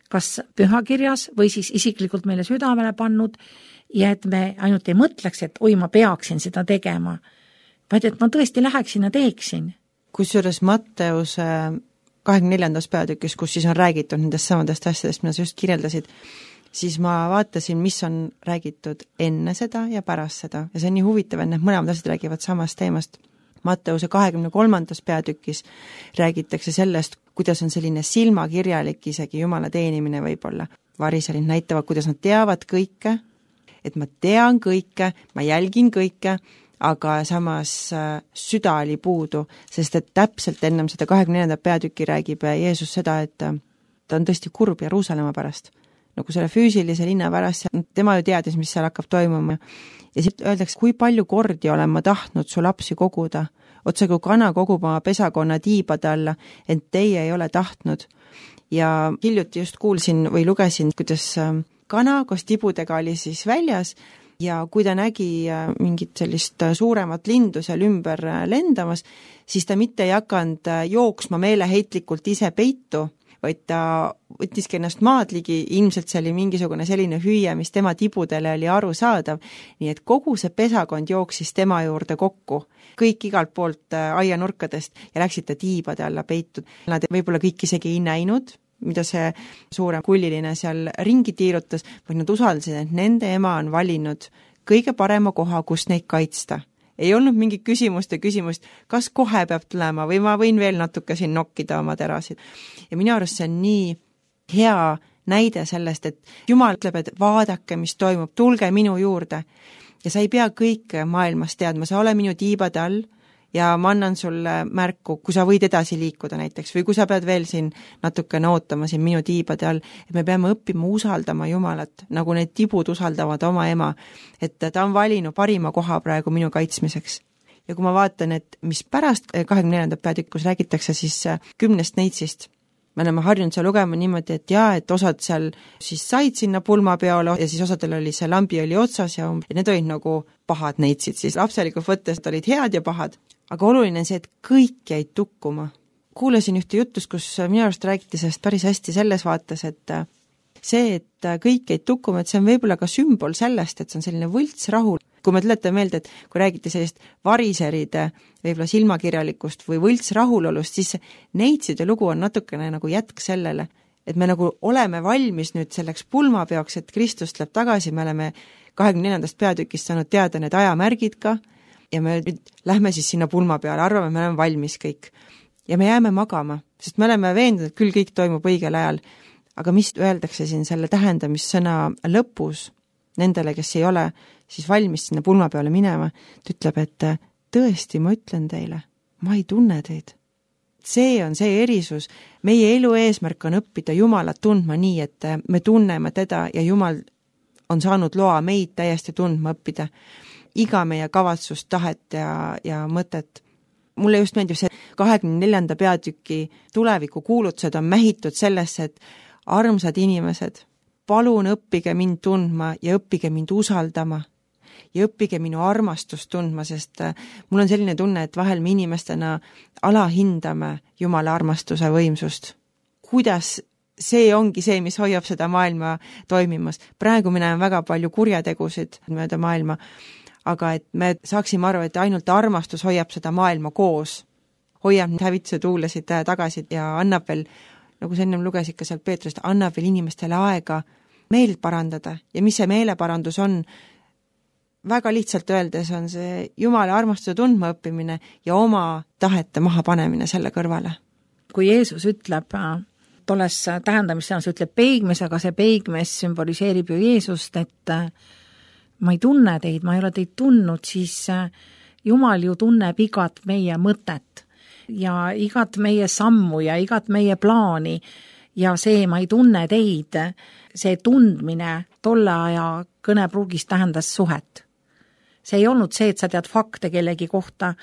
kas pühakirjas või siis isiklikult meile südamele pannud ja et me ainult ei mõtleks, et oi, ma peaksin seda tegema, vaid et ma tõesti läheksin ja teeksin. Kusjuures Matteuse 24. peatükis, kus siis on räägitud nendest samadest asjadest, mida sa just kirjeldasid, siis ma vaatasin, mis on räägitud enne seda ja pärast seda. Ja see on nii huvitav, et need mõlemad asjad räägivad samast teemast. Matteuse 23. peatükis räägitakse sellest, kuidas on selline silmakirjalik isegi Jumala teenimine võib-olla. Variserid näitavad, kuidas nad teavad kõike, et ma tean kõike, ma jälgin kõike, aga samas süda oli puudu, sest et täpselt ennem seda 24. peatükki räägib Jeesus seda, et ta on tõesti kurb Jeruusalemma pärast. Nagu selle füüsilise linna pärast, tema ju teadis, mis seal hakkab toimuma. Ja siit öeldakse, kui palju kordi olen ma tahtnud su lapsi koguda, otse kui kana kogub oma pesakonna tiibade alla, et teie ei ole tahtnud. Ja hiljuti just kuulsin või lugesin, kuidas kana koos tibudega oli siis väljas ja kui ta nägi mingit sellist suuremat lindu seal ümber lendamas, siis ta mitte ei hakanud jooksma meeleheitlikult ise peitu, vaid ta võttiski ennast maad ligi, ilmselt see oli mingisugune selline hüüe, mis tema tibudele oli arusaadav, nii et kogu see pesakond jooksis tema juurde kokku, kõik igalt poolt aianurkadest ja läksid ta tiibade alla peitud. Nad võib-olla kõik isegi ei näinud, mida see suurem kulliline seal ringi tiirutas, vaid nad usaldasid, et nende ema on valinud kõige parema koha, kus neid kaitsta. Ei olnud mingi küsimust, kas kohe peab tulema või ma võin veel natuke siin nokkida oma terasid. Ja minu arust see on nii hea näide sellest, et Jumal ütleb, et vaadake, mis toimub, tulge minu juurde. Ja sa ei pea kõike maailmas teadma, sa ole minu tiibade all ja ma annan sulle märku, kui sa võid edasi liikuda näiteks või kui sa pead veel siin natukene ootama siin minu tiibade all, et me peame õppima usaldama Jumalat, nagu need tibud usaldavad oma ema, et ta on valinud parima koha praegu minu kaitsmiseks. Ja kui ma vaatan, et mis pärast 24. peatükkus räägitakse siis 10 neitsist, me oleme harjunud seal lugema niimoodi, et et osad seal siis said sinna pulmapeole ja siis osadel oli see lambi oli otsas ja need olid nagu pahad neitsid, siis lapselikult võttes olid head ja pahad. Aga oluline on see, et kõik jäid tukkuma. Kuulasin ühte jutust, kus minu arust räägiti sellest päris hästi selles vaates, et see, et kõik jäid tukkuma, et see on võib-olla ka sümbol sellest, et see on selline võltsrahu. Kui me tuletan meelde, et kui räägiti sellist variseride võib-olla silmakirjalikust või võltsrahulolust, siis neitside lugu on natukene nagu jätk sellele, et me nagu oleme valmis nüüd selleks pulmapeoks, et Kristus tuleb tagasi, me oleme 24. peatükist saanud teada need ajamärgid ka, ja me nüüd lähme siis sinna pulma peale, arvame, me oleme valmis kõik. Ja me jääme magama, sest me oleme veendunud, et küll kõik toimub õigel ajal. Aga mis öeldakse siin selle tähendamissõna lõpus nendele, kes ei ole siis valmis sinna pulma peale minema, ta ütleb, et tõesti, ma ütlen teile, ma ei tunne teid. See on see erisus. Meie elu eesmärk on õppida Jumalat tundma nii, et me tunneme teda ja Jumal on saanud loa meid täiesti tundma õppida. Iga meie kavatsust, tahet ja mõtet. Mulle just meeldib see 24. peatüki tuleviku kuulutused on mähitud sellesse, et armsad inimesed, palun õppige mind tundma ja õppige mind usaldama ja õppige minu armastust tundma, sest mul on selline tunne, et vahel me inimestena alahindame Jumala armastuse võimsust. Kuidas see ongi see, mis hoiab seda maailma toimimas. Praegu me näeme väga palju kurjategusid mööda maailma, aga et me saaksime aru, et ainult armastus hoiab seda maailma koos, hoiab hävituse tuulesid tagasi ja annab veel, nagu sa ennem lugesid ka sealt Peetrust, annab veel inimestele aega meelt parandada. Ja mis see meeleparandus on? Väga lihtsalt öeldes on see Jumala armastuse tundma õppimine ja oma tahete maha panemine selle kõrvale. Kui Jeesus ütleb, tolles tähendamissõnas ütleb peigmes, aga see peigmes sümboliseerib ju Jeesust, et ma ei tunne teid, ma ei ole teid tundnud, siis Jumal ju tunneb igat meie mõtet ja igat meie sammu ja igat meie plaani ja see ma ei tunne teid, see tundmine tolle aja kõnepruugis tähendas suhet. See ei olnud see, et sa tead fakte kellegi kohta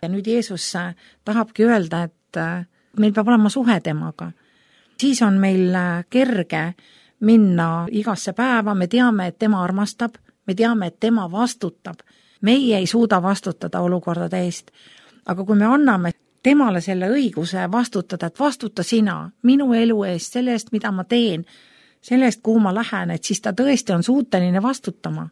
ja nüüd Jeesus tahabki öelda, et meil peab olema suhe temaga. Siis on meil kerge minna igasse päeva, me teame, et tema armastab, me teame, et tema vastutab. Meie ei suuda vastutada olukordade eest, aga kui me anname temale selle õiguse vastutada, et vastuta sina minu elu eest, selle eest, mida ma teen, selle eest, kuhu ma lähen, et siis ta tõesti on suuteline vastutama.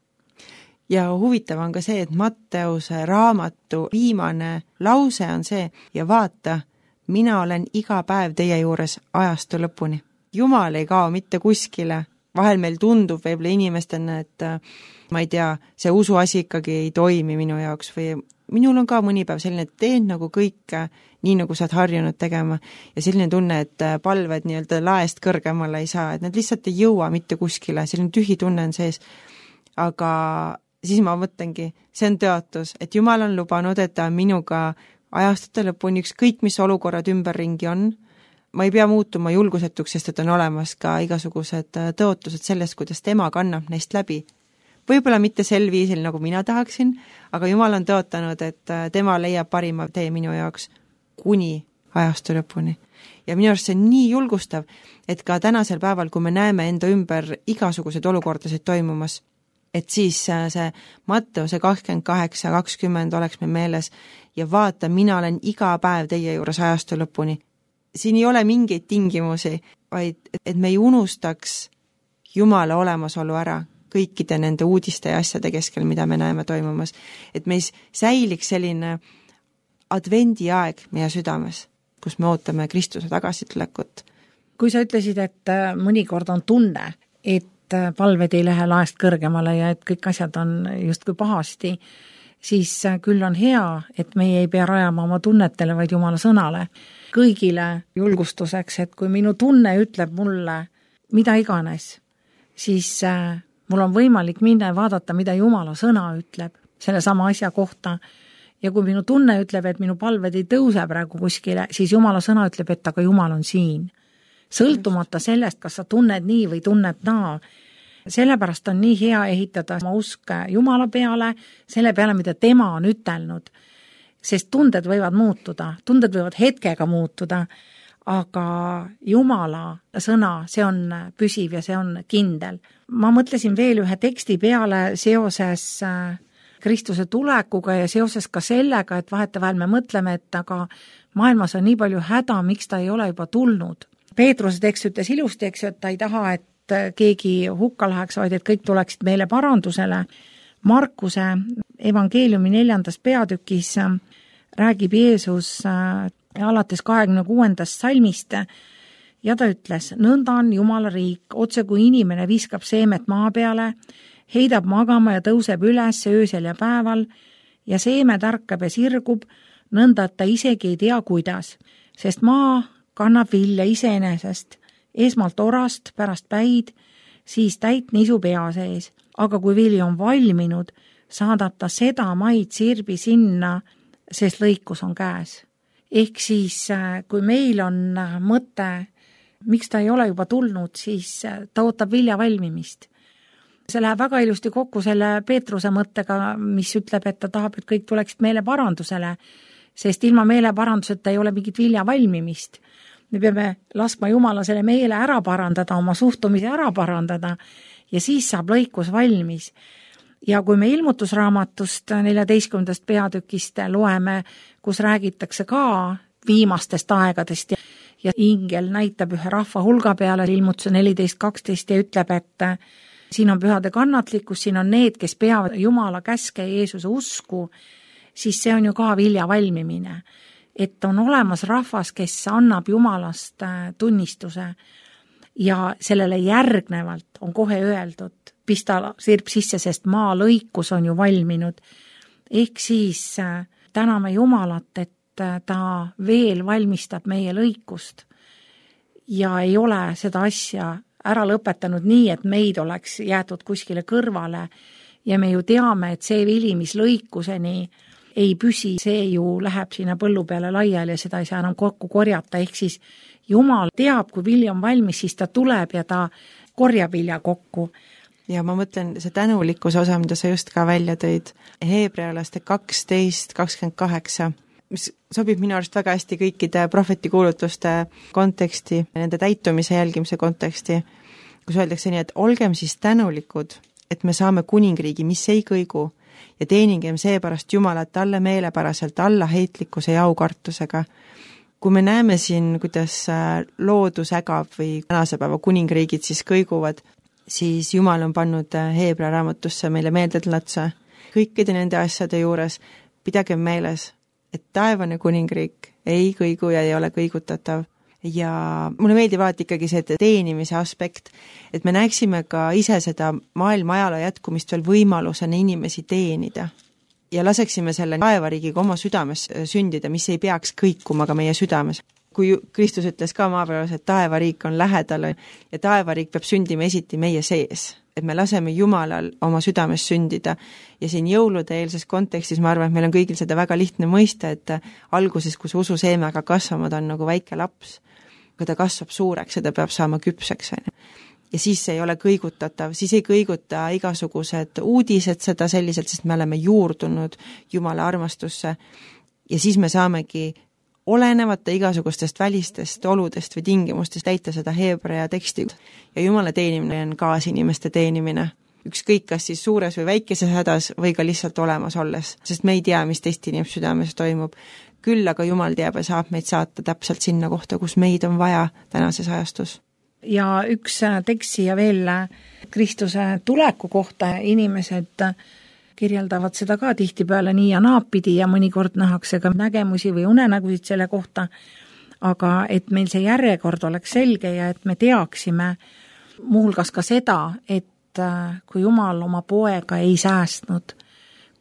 Ja huvitav on ka see, et Matteuse raamatu viimane lause on see ja vaata, mina olen iga päev teie juures ajastu lõpuni. Jumal ei kao mitte kuskile, vahel meil tundub võib-olla inimestena, et ma ei tea, see usuasi ikkagi ei toimi minu jaoks või minul on ka mõni päev selline, et teen nagu kõike nii, nagu sa oled harjunud tegema ja selline tunne, et palved nii-öelda laest kõrgemale ei saa, et need lihtsalt ei jõua mitte kuskile, selline tühi tunne on sees. Aga siis ma mõtlengi, see on tõotus, et Jumal on lubanud, et ta on minuga ajastute lõpuni ükskõik, mis olukorrad ümberringi on. Ma ei pea muutuma julgusetuks, sest et on olemas ka igasugused tõotused sellest, kuidas tema kannab neist läbi. Võib-olla mitte sel viisil, nagu mina tahaksin, aga Jumal on tõotanud, et tema leiab parima tee minu jaoks kuni ajastu lõpuni. Ja minu arust see on nii julgustav, et ka tänasel päeval, kui me näeme enda ümber igasuguseid olukordasid toimumas, et siis see Matteuse 28-20 oleks meil meeles ja vaata, mina olen iga päev teie juures ajastu lõpuni. Siin ei ole mingeid tingimusi, vaid et me ei unustaks Jumala olemasolu ära kõikide nende uudiste ja asjade keskel, mida me näeme toimumas. Et meis säiliks selline advendiaeg meie südames, kus me ootame Kristuse tagasitulekut. Kui sa ütlesid, et mõnikord on tunne, et palved ei lähe laest kõrgemale ja et kõik asjad on justkui pahasti, siis küll on hea, et meie ei pea rajama oma tunnetele, vaid Jumala sõnale. Kõigile julgustuseks, et kui minu tunne ütleb mulle mida iganes, siis mul on võimalik minna ja vaadata, mida Jumala sõna ütleb selle sama asja kohta. Ja kui minu tunne ütleb, et minu palved ei tõuse praegu kuskile, siis Jumala sõna ütleb, et aga Jumal on siin. Sõltumata sellest, kas sa tunned nii või tunned naa. Sellepärast on nii hea ehitada oma usk Jumala peale, selle peale, mida tema on ütelnud. Sest tunded võivad muutuda, tunded võivad hetkega muutuda, aga Jumala sõna, see on püsiv ja see on kindel. Ma mõtlesin veel ühe teksti peale seoses Kristuse tulekuga ja seoses ka sellega, et vahetevahel me mõtleme, et aga maailmas on nii palju häda, miks ta ei ole juba tulnud. Peetruse tekst ütles ilusti, eks, et ta ei taha, et keegi hukka läheks, vaid et kõik tuleksid meile parandusele. Markuse evangeeliumi 4. peatükis räägib Jeesus alates 26. salmist ja ta ütles, nõnda on Jumala riik, otse kui inimene viskab seemet maa peale, heidab magama ja tõuseb üles öösel ja päeval ja seeme tärkab ja sirgub, nõnda, et ta isegi ei tea, kuidas, sest maa kannab vilja iseenesest, esmalt orast, pärast päid, siis täit nisu pea sees. Aga kui vili on valminud, saadab ta seda maid sirbi sinna, sest lõikus on käes. Ehk siis, kui meil on mõte, miks ta ei ole juba tulnud, siis ta ootab vilja valmimist. See läheb väga ilusti kokku selle Peetruse mõttega, mis ütleb, et ta tahab, et kõik tuleksid meele parandusele, sest ilma meele paranduseta ei ole mingit vilja valmimist. Me peame laskma Jumala selle meele ära parandada, oma suhtumise ära parandada ja siis saab lõikus valmis. Ja kui me ilmutusraamatust 14. peatükist loeme, kus räägitakse ka viimastest aegadest ja ingel näitab ühe rahva hulga peale ilmutuse 14.12 ja ütleb, et siin on pühade kannatlikkus, siin on need, kes peavad Jumala käske ja Jeesuse usku, siis see on ju ka vilja valmimine. Et on olemas rahvas, kes annab Jumalast tunnistuse ja sellele järgnevalt on kohe öeldud, pista sirb sisse, sest maa lõikus on ju valminud. Ehk siis täname Jumalat, et ta veel valmistab meie lõikust ja ei ole seda asja ära lõpetanud nii, et meid oleks jäetud kuskile kõrvale ja me ju teame, et see vili, mis lõikuseni ei püsi, see ju läheb sinna põllu peale laiali ja seda ei saa enam kokku korjata, ehk siis Jumal teab, kui vili on valmis, siis ta tuleb ja ta korjab vilja kokku. Ja ma mõtlen see tänulikkuse osa, mida sa just ka välja tõid, Heebrealaste 12:28, mis sobib minu arust väga hästi kõikide prohvetikuulutuste konteksti, nende täitumise jälgimise konteksti, kus öeldakse nii, et olgem siis tänulikud, et me saame kuningriigi, mis ei kõigu, ja teeningem seepärast Jumalat talle meelepäraselt allaheitlikkuse ja aukartusega. Kui me näeme siin, kuidas loodus ägab või tänase päeva kuningriigid siis kõiguvad, siis Jumal on pannud Heebrea raamatusse meile meeldetuletuse. Kõikide nende asjade juures pidagem meeles, et taevane kuningriik ei kõigu ja ei ole kõigutatav. ja mulle meeldib alati ikkagi see teenimise aspekt, et me näeksime ka ise seda maailma ajaloo jätkumist veel võimalusena inimesi teenida ja laseksime selle taevariigiga oma südames sündida, mis ei peaks kõikuma ka meie südames. Kui Kristus ütles ka maapealas, et taevariik on lähedal ja taevariik peab sündima esiti meie sees, et me laseme Jumalal oma südames sündida ja siin jõulude eelses kontekstis ma arvan, et meil on kõigil seda väga lihtne mõista, et alguses, kui see ususeemega kasvama, ta on nagu väike laps, kui ta kasvab suureks ja ta peab saama küpseks. Ja siis see ei ole kõigutatav, siis ei kõiguta igasugused uudised seda selliselt, sest me oleme juurdunud Jumala armastusse ja siis me saamegi olenevate igasugustest välistest oludest või tingimustest täita seda Heebrea teksti. Ja Jumala teenimine on kaasinimeste teenimine. Ükskõik kas siis suures või väikeses hädas või ka lihtsalt olemas olles, sest me ei tea, mis teist inimese südames toimub. Küll aga Jumal teab ja saab meid saata täpselt sinna kohta, kus meid on vaja tänases ajastus. Ja üks tekst siia veel Kristuse tuleku kohta inimesed kirjeldavad seda ka tihtipeale nii ja naapidi ja mõnikord nähakse ka nägemusi või unenägusid selle kohta, aga et meil see järjekord oleks selge ja et me teaksime muuhulgas ka seda, et kui Jumal oma poega ei säästnud,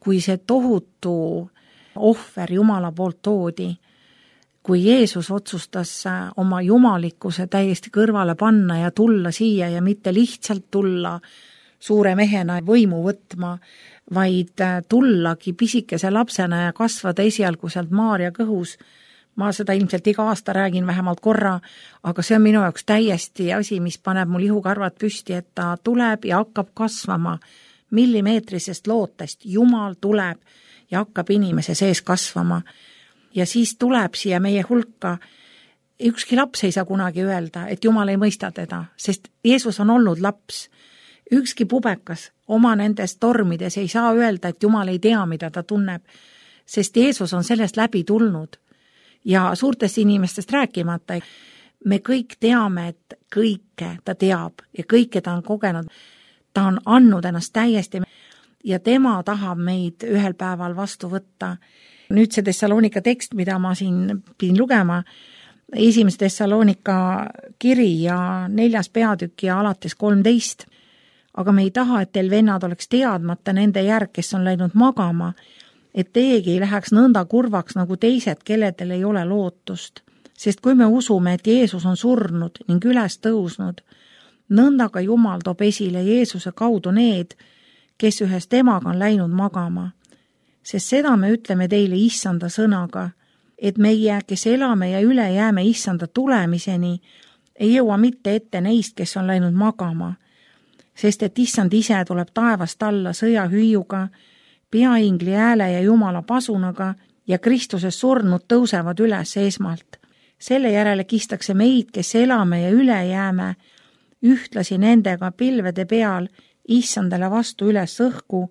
kui see tohutu ohver Jumala poolt toodi, kui Jeesus otsustas oma jumalikkuse täiesti kõrvale panna ja tulla siia ja mitte lihtsalt tulla suure mehena võimu võtma, vaid tullagi pisikese lapsena ja kasvada esialgu sealt Maarja kõhus. Ma seda ilmselt iga aasta räägin vähemalt korra, aga see on minu jaoks täiesti asi, mis paneb mul ihukarvad püsti, et ta tuleb ja hakkab kasvama millimeetrisest lootest. Jumal tuleb ja hakkab inimese sees kasvama. Ja siis tuleb siia meie hulka. Ükski laps ei saa kunagi öelda, et Jumal ei mõista teda, sest Jeesus on olnud laps. Ükski pubekas oma nendes tormides ei saa öelda, et Jumal ei tea, mida ta tunneb, sest Jeesus on sellest läbi tulnud. Ja suurtest inimestest rääkimata, me kõik teame, et kõike ta teab ja kõike ta on kogenud. Ta on andnud ennast täiesti ja tema tahab meid ühel päeval vastu võtta. Nüüd see Thessalonika tekst, mida ma siin pidin lugema, 1. Thessalonika kiri ja 4. peatükk ja alates 13. Aga me ei taha, et teil vennad oleks teadmata nende järg, kes on läinud magama, et teiegi ei läheks nõnda kurvaks nagu teised, kelledel ei ole lootust. Sest kui me usume, et Jeesus on surnud ning üles tõusnud, nõnda ka Jumal toob esile Jeesuse kaudu need, kes ühes temaga on läinud magama. Sest seda me ütleme teile issanda sõnaga, et meie, kes elame ja üle jääme issanda tulemiseni, ei jõua mitte ette neist, kes on läinud magama. Sest et issand ise tuleb taevast alla sõjahüüuga, peaingli hääle ja Jumala pasunaga ja Kristuses surnud tõusevad üles esmalt. Selle järele kistakse meid, kes elame ja üle jääme, ühtlasi nendega pilvede peal issandale vastu üles õhku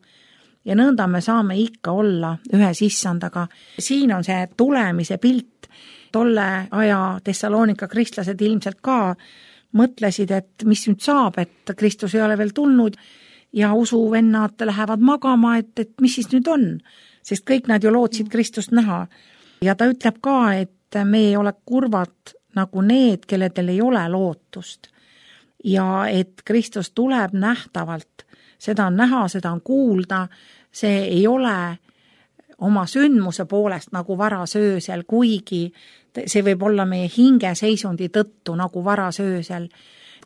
ja nõnda me saame ikka olla ühes issandaga. Siin on see tulemise pilt. Tolle aja Thessalonika kristlased ilmselt ka mõtlesid, et mis nüüd saab, et Kristus ei ole veel tulnud ja usuvennad lähevad magama, et mis siis nüüd on, sest kõik nad ju lootsid Kristust näha. Ja ta ütleb ka, et me ei ole kurvad nagu need, kelledel ei ole lootust ja et Kristus tuleb nähtavalt, seda on näha, seda on kuulda, see ei ole oma sündmuse poolest nagu varasöösel, kuigi see võib olla meie hingeseisundi tõttu nagu varasöösel.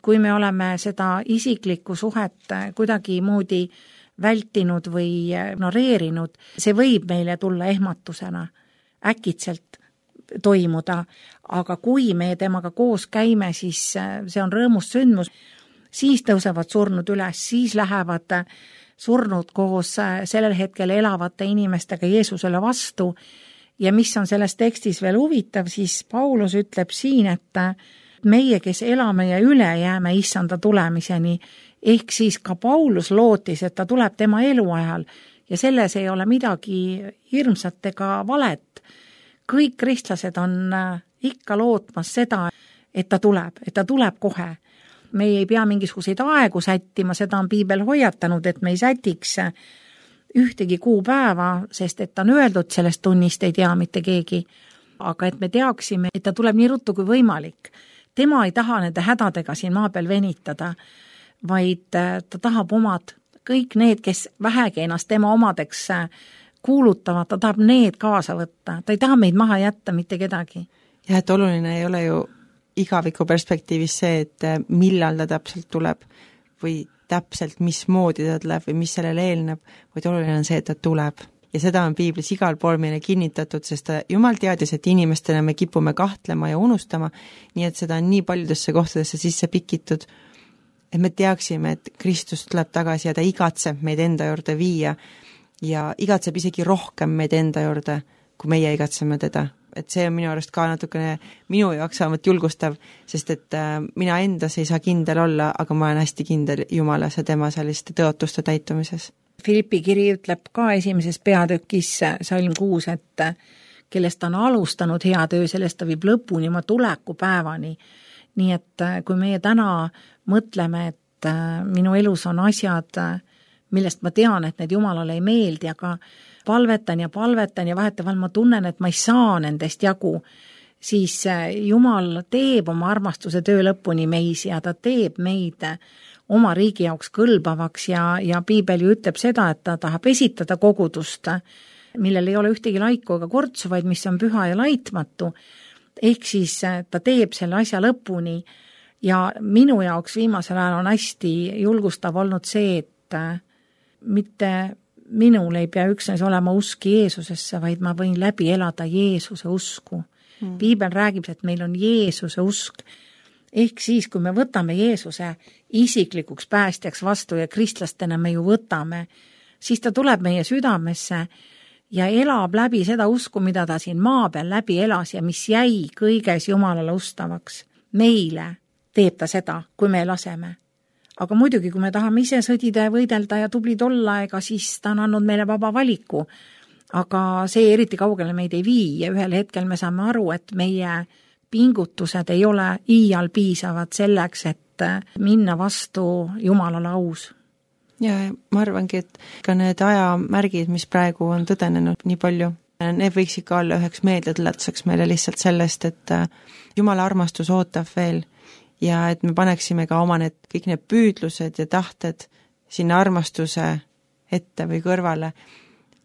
Kui me oleme seda isiklikku suhet kuidagi moodi vältinud või ignoreerinud, see võib meile tulla ehmatusena, äkitselt toimuda, aga kui me temaga koos käime, siis see on rõõmust sündmus, siis tõusevad surnud üles, siis lähevad surnud koos sellel hetkel elavate inimestega Jeesusele vastu. Ja mis on selles tekstis veel huvitav, siis Paulus ütleb siin, et meie, kes elame ja üle jääme issanda tulemiseni, ehk siis ka Paulus lootis, et ta tuleb tema eluajal ja selles ei ole midagi hirmsat ega valet. Kõik kristlased on ikka lootmas seda, et ta tuleb kohe. Me ei pea mingisuguseid aegu sättima, seda on piibel hoiatanud, et me ei sätiks ühtegi kuupäeva, sest et on öeldud sellest tunnist ei tea mitte keegi. aga et me teaksime, et ta tuleb nii ruttu kui võimalik. Tema ei taha nende hädadega siin maa peal venitada, vaid ta tahab omad, kõik need, kes vähegi ennast tema omadeks kuulutavad, ta tahab need kaasa võtta. Ta ei taha meid maha jätta mitte kedagi. Ja et oluline ei ole ju igaviku perspektiivis see, et millal ta täpselt tuleb või täpselt mismoodi ta tuleb või mis sellele eelneb, vaid oluline on see, et ta tuleb. Ja seda on piiblis igal pool meile kinnitatud, sest Jumal teadis, et inimestena me kipume kahtlema ja unustama, nii et seda on nii paljudesse kohtadesse sisse pikitud, et me teaksime, et Kristus tuleb tagasi ja ta igatseb meid enda juurde viia ja igatseb isegi rohkem meid enda juurde, kui meie igatseme teda. Et see on minu arust ka natukene minu jaoks vähemalt julgustav, sest et mina endas ei saa kindel olla, aga ma olen hästi kindel Jumalas ja tema selliste tõotuste täitumises. Filippi kiri ütleb ka esimeses peatükis salm 6, et kellest ta on alustanud hea töö, sellest ta viib lõpuni oma tulekupäevani. Nii et kui meie täna mõtleme, et minu elus on asjad, millest ma tean, et need Jumalale ei meeldi, aga palvetan ja vahetevahel ma tunnen, et ma ei saa nendest jagu, siis Jumal teeb oma armastuse töö lõpuni meis ja ta teeb meid oma riigi jaoks kõlbavaks ja piibel ju ütleb seda, et ta tahab esitada kogudust, millel ei ole ühtegi laiku ega kortsu, vaid mis on püha ja laitmatu. Ehk siis ta teeb selle asja lõpuni ja minu jaoks viimasel ajal on hästi julgustav olnud see, et mitte minul ei pea üksnes olema usk Jeesusesse, vaid ma võin läbi elada Jeesuse usku. Piibel räägib, et meil on Jeesuse usk. Ehk siis, kui me võtame Jeesuse isiklikuks päästjaks vastu ja kristlastena me ju võtame, siis ta tuleb meie südamesse ja elab läbi seda usku, mida ta siin maa peal läbi elas ja mis jäi kõiges Jumalale ustavaks. Meile teeb ta seda, kui me laseme. Aga muidugi, kui me tahame ise sõdida ja võidelda ja tublid olla, ega siis ta on andnud meile vaba valiku. Aga see eriti kaugele meid ei vii ja ühel hetkel me saame aru, et meie pingutused ei ole iial piisavad selleks, et minna vastu Jumalale aus. Ja ma arvangi, et ka need ajamärgid, mis praegu on tõdenenud nii palju, need võiksid ka olla üheks meeldetuletuseks meile lihtsalt sellest, et Jumala armastus ootab veel ja et me paneksime ka oma kõik need püüdlused ja tahted sinna armastuse ette või kõrvale,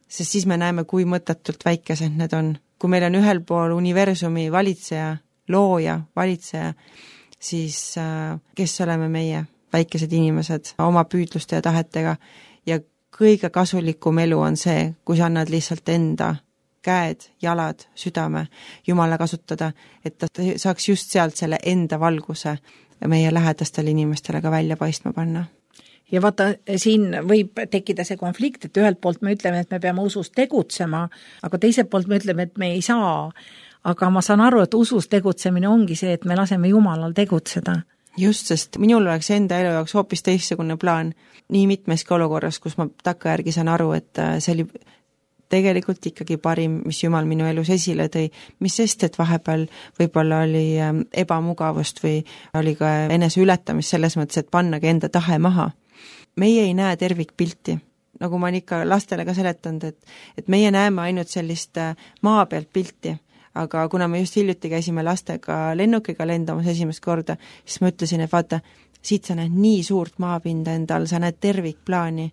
sest siis me näeme, kui mõttetult väikesed need on. Kui meil on ühel pool universumi valitseja, looja, valitseja, siis kes oleme meie, väikesed inimesed, oma püüdluste ja tahetega ja kõige kasulikum elu on see, kui sa annad lihtsalt enda käed, jalad, südame Jumala kasutada, et ta saaks just sealt selle enda valguse meie lähedastele inimestele ka välja paistma panna. Ja vaata, siin võib tekkida see konflikt, et ühelt poolt me ütleme, et me peame usus tegutsema, aga teiselt poolt me ütleme, et me ei saa. Aga ma saan aru, et usus tegutsemine ongi see, et me laseme Jumalal tegutseda. Just, sest minul oleks enda elu jaoks hoopis teistsugune plaan nii mitmeski olukorras, kus ma takkajärgi saan aru, et see oli tegelikult ikkagi parim, mis Jumal minu elus esile tõi, mis sest, et vahepeal võib-olla oli ebamugavust või oli ka enese ületamist selles mõttes, et pannagi enda tahe maha. Meie ei näe tervikpilti, nagu ma olen ikka lastele ka seletanud, et meie näeme ainult sellist maa pealt pilti, aga kuna me just hiljuti käisime lastega lennukiga lendamas esimest korda, siis ma ütlesin, et vaata, siit sa näed nii suurt maapinda endal, sa näed tervikplaani.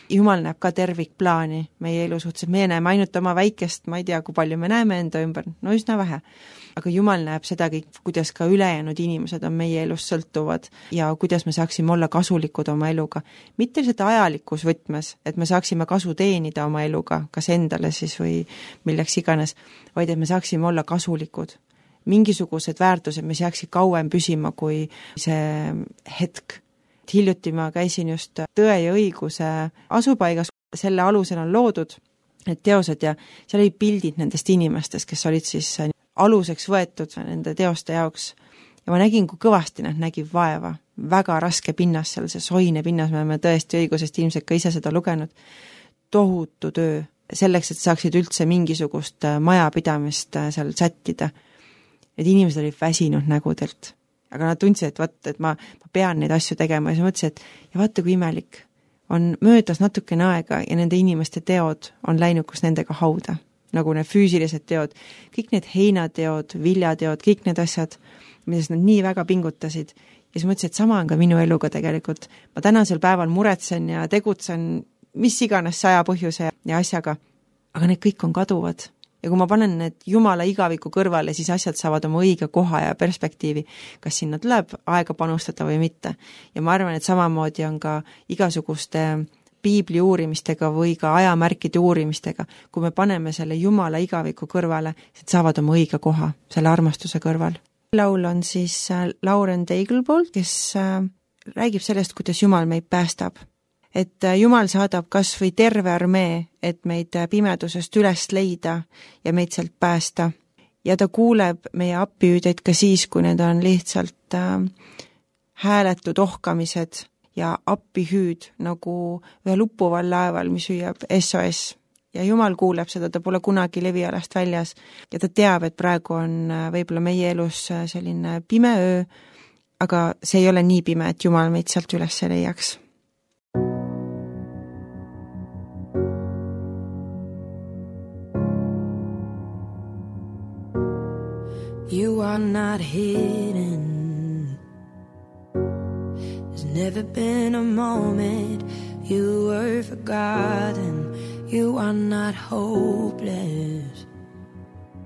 Jumal näeb ka tervikplaani meie elu suhtes, meie näeme ainult oma väikest, ma ei tea, kui palju me näeme enda ümber, no üsna vähe. Aga Jumal näeb seda kõik, kuidas ka ülejäänud inimesed on meie elus sõltuvad ja kuidas me saaksime olla kasulikud oma eluga. Mitte lihtsalt ajalikus võtmes, et me saaksime kasu teenida oma eluga, kas endale siis või milleks iganes, vaid et me saaksime olla kasulikud. Mingisugused väärtused, mis jääksid kauem püsima kui see hetk. Hiljuti ma käisin just Tõe ja õiguse asupaigas, selle alusel on loodud need teosed ja seal oli pildid nendest inimestest, kes olid siis aluseks võetud nende teoste jaoks. Ja ma nägin, kui kõvasti nad nägid vaeva. Väga raske pinnas seal, see soine pinnas, me oleme tõesti õigusest ilmselt ka ise seda lugenud. Tohutu töö selleks, et saaksid üldse mingisugust majapidamist seal sättida. Need inimesed olid väsinud nägudelt, aga nad tundsid, et ma pean neid asju tegema ja siis mõtlesin, et ja vaata, kui imelik on möödas natukene aega ja nende inimeste teod on läinud kus nendega hauda. nagu need füüsilised teod, kõik need heinateod, viljateod, kõik need asjad, milles nad nii väga pingutasid. Ja siis mõtlesin, et sama on ka minu eluga tegelikult. Ma tänasel päeval muretsen ja tegutsen mis iganes 100 põhjuse ja asjaga, aga need kõik on kaduvad. Ja kui ma panen need Jumala igaviku kõrvale, siis asjad saavad oma õige koha ja perspektiivi, kas sinna tuleb aega panustada või mitte. Ja ma arvan, et samamoodi on ka igasuguste piibli uurimistega või ka ajamärkide uurimistega, kui me paneme selle Jumala igaviku kõrvale, siis saavad oma õige koha selle armastuse kõrval. Laul on siis Lauren Daigle poolt, kes räägib sellest, kuidas Jumal meid päästab. Et Jumal saadab kas või terve armee, et meid pimedusest üles leida ja meid sealt päästa. Ja ta kuuleb meie appihüüdeid ka siis, kui need on lihtsalt hääletud ohkamised ja appihüüd nagu ühe luppuval laeval, mis hüüab SOS. Ja Jumal kuuleb seda, ta pole kunagi levialast väljas ja ta teab, et praegu on võib-olla meie elus selline pime öö, aga see ei ole nii pime, et Jumal meid sealt üles leiaks. You are not hidden. There's never been a moment you were forgotten. You are not hopeless.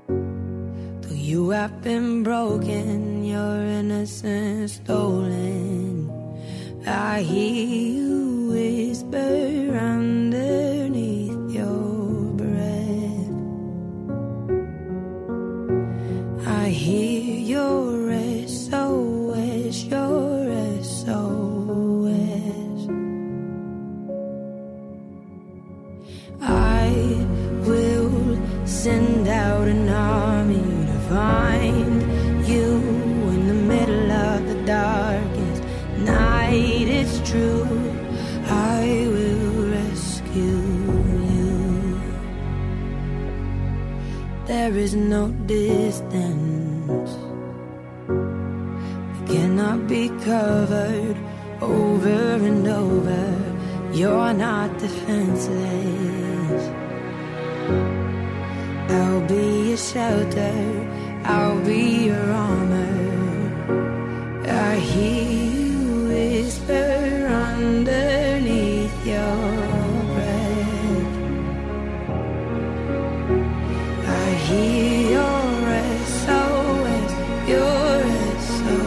Though you have been broken, your innocence stolen, I hear you whisper underneath your breath. I hear your SOS, your SOS. I will send out an army to find you in the middle of the darkest night. It's true, I will rescue you. There is no distance that cannot be covered over and over. You're not defenseless. I'll be your shelter, I'll be your armor. I hear you whisper underneath your breath. I hear your SOS, your SOS.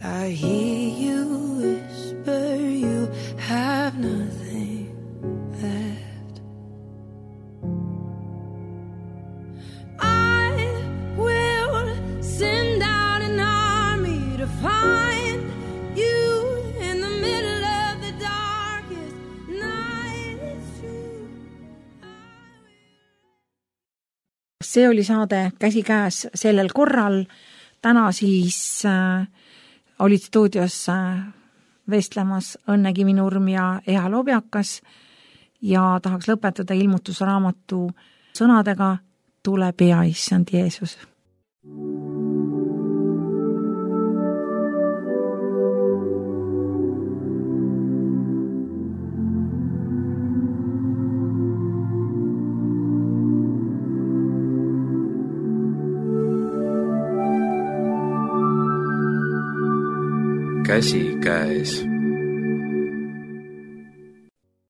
I hear you whisper, you have nothing left. I will send out an army to find you in the middle of the darkest night. It's true. See oli saade Käsikäes sellel korral. Täna siis olid stuudios vestlemas Õnne Kivinurm ja Eha Lobjakas ja tahaks lõpetada ilmutusraamatu sõnadega Tule pea, issand Jeesus. Käsikäes.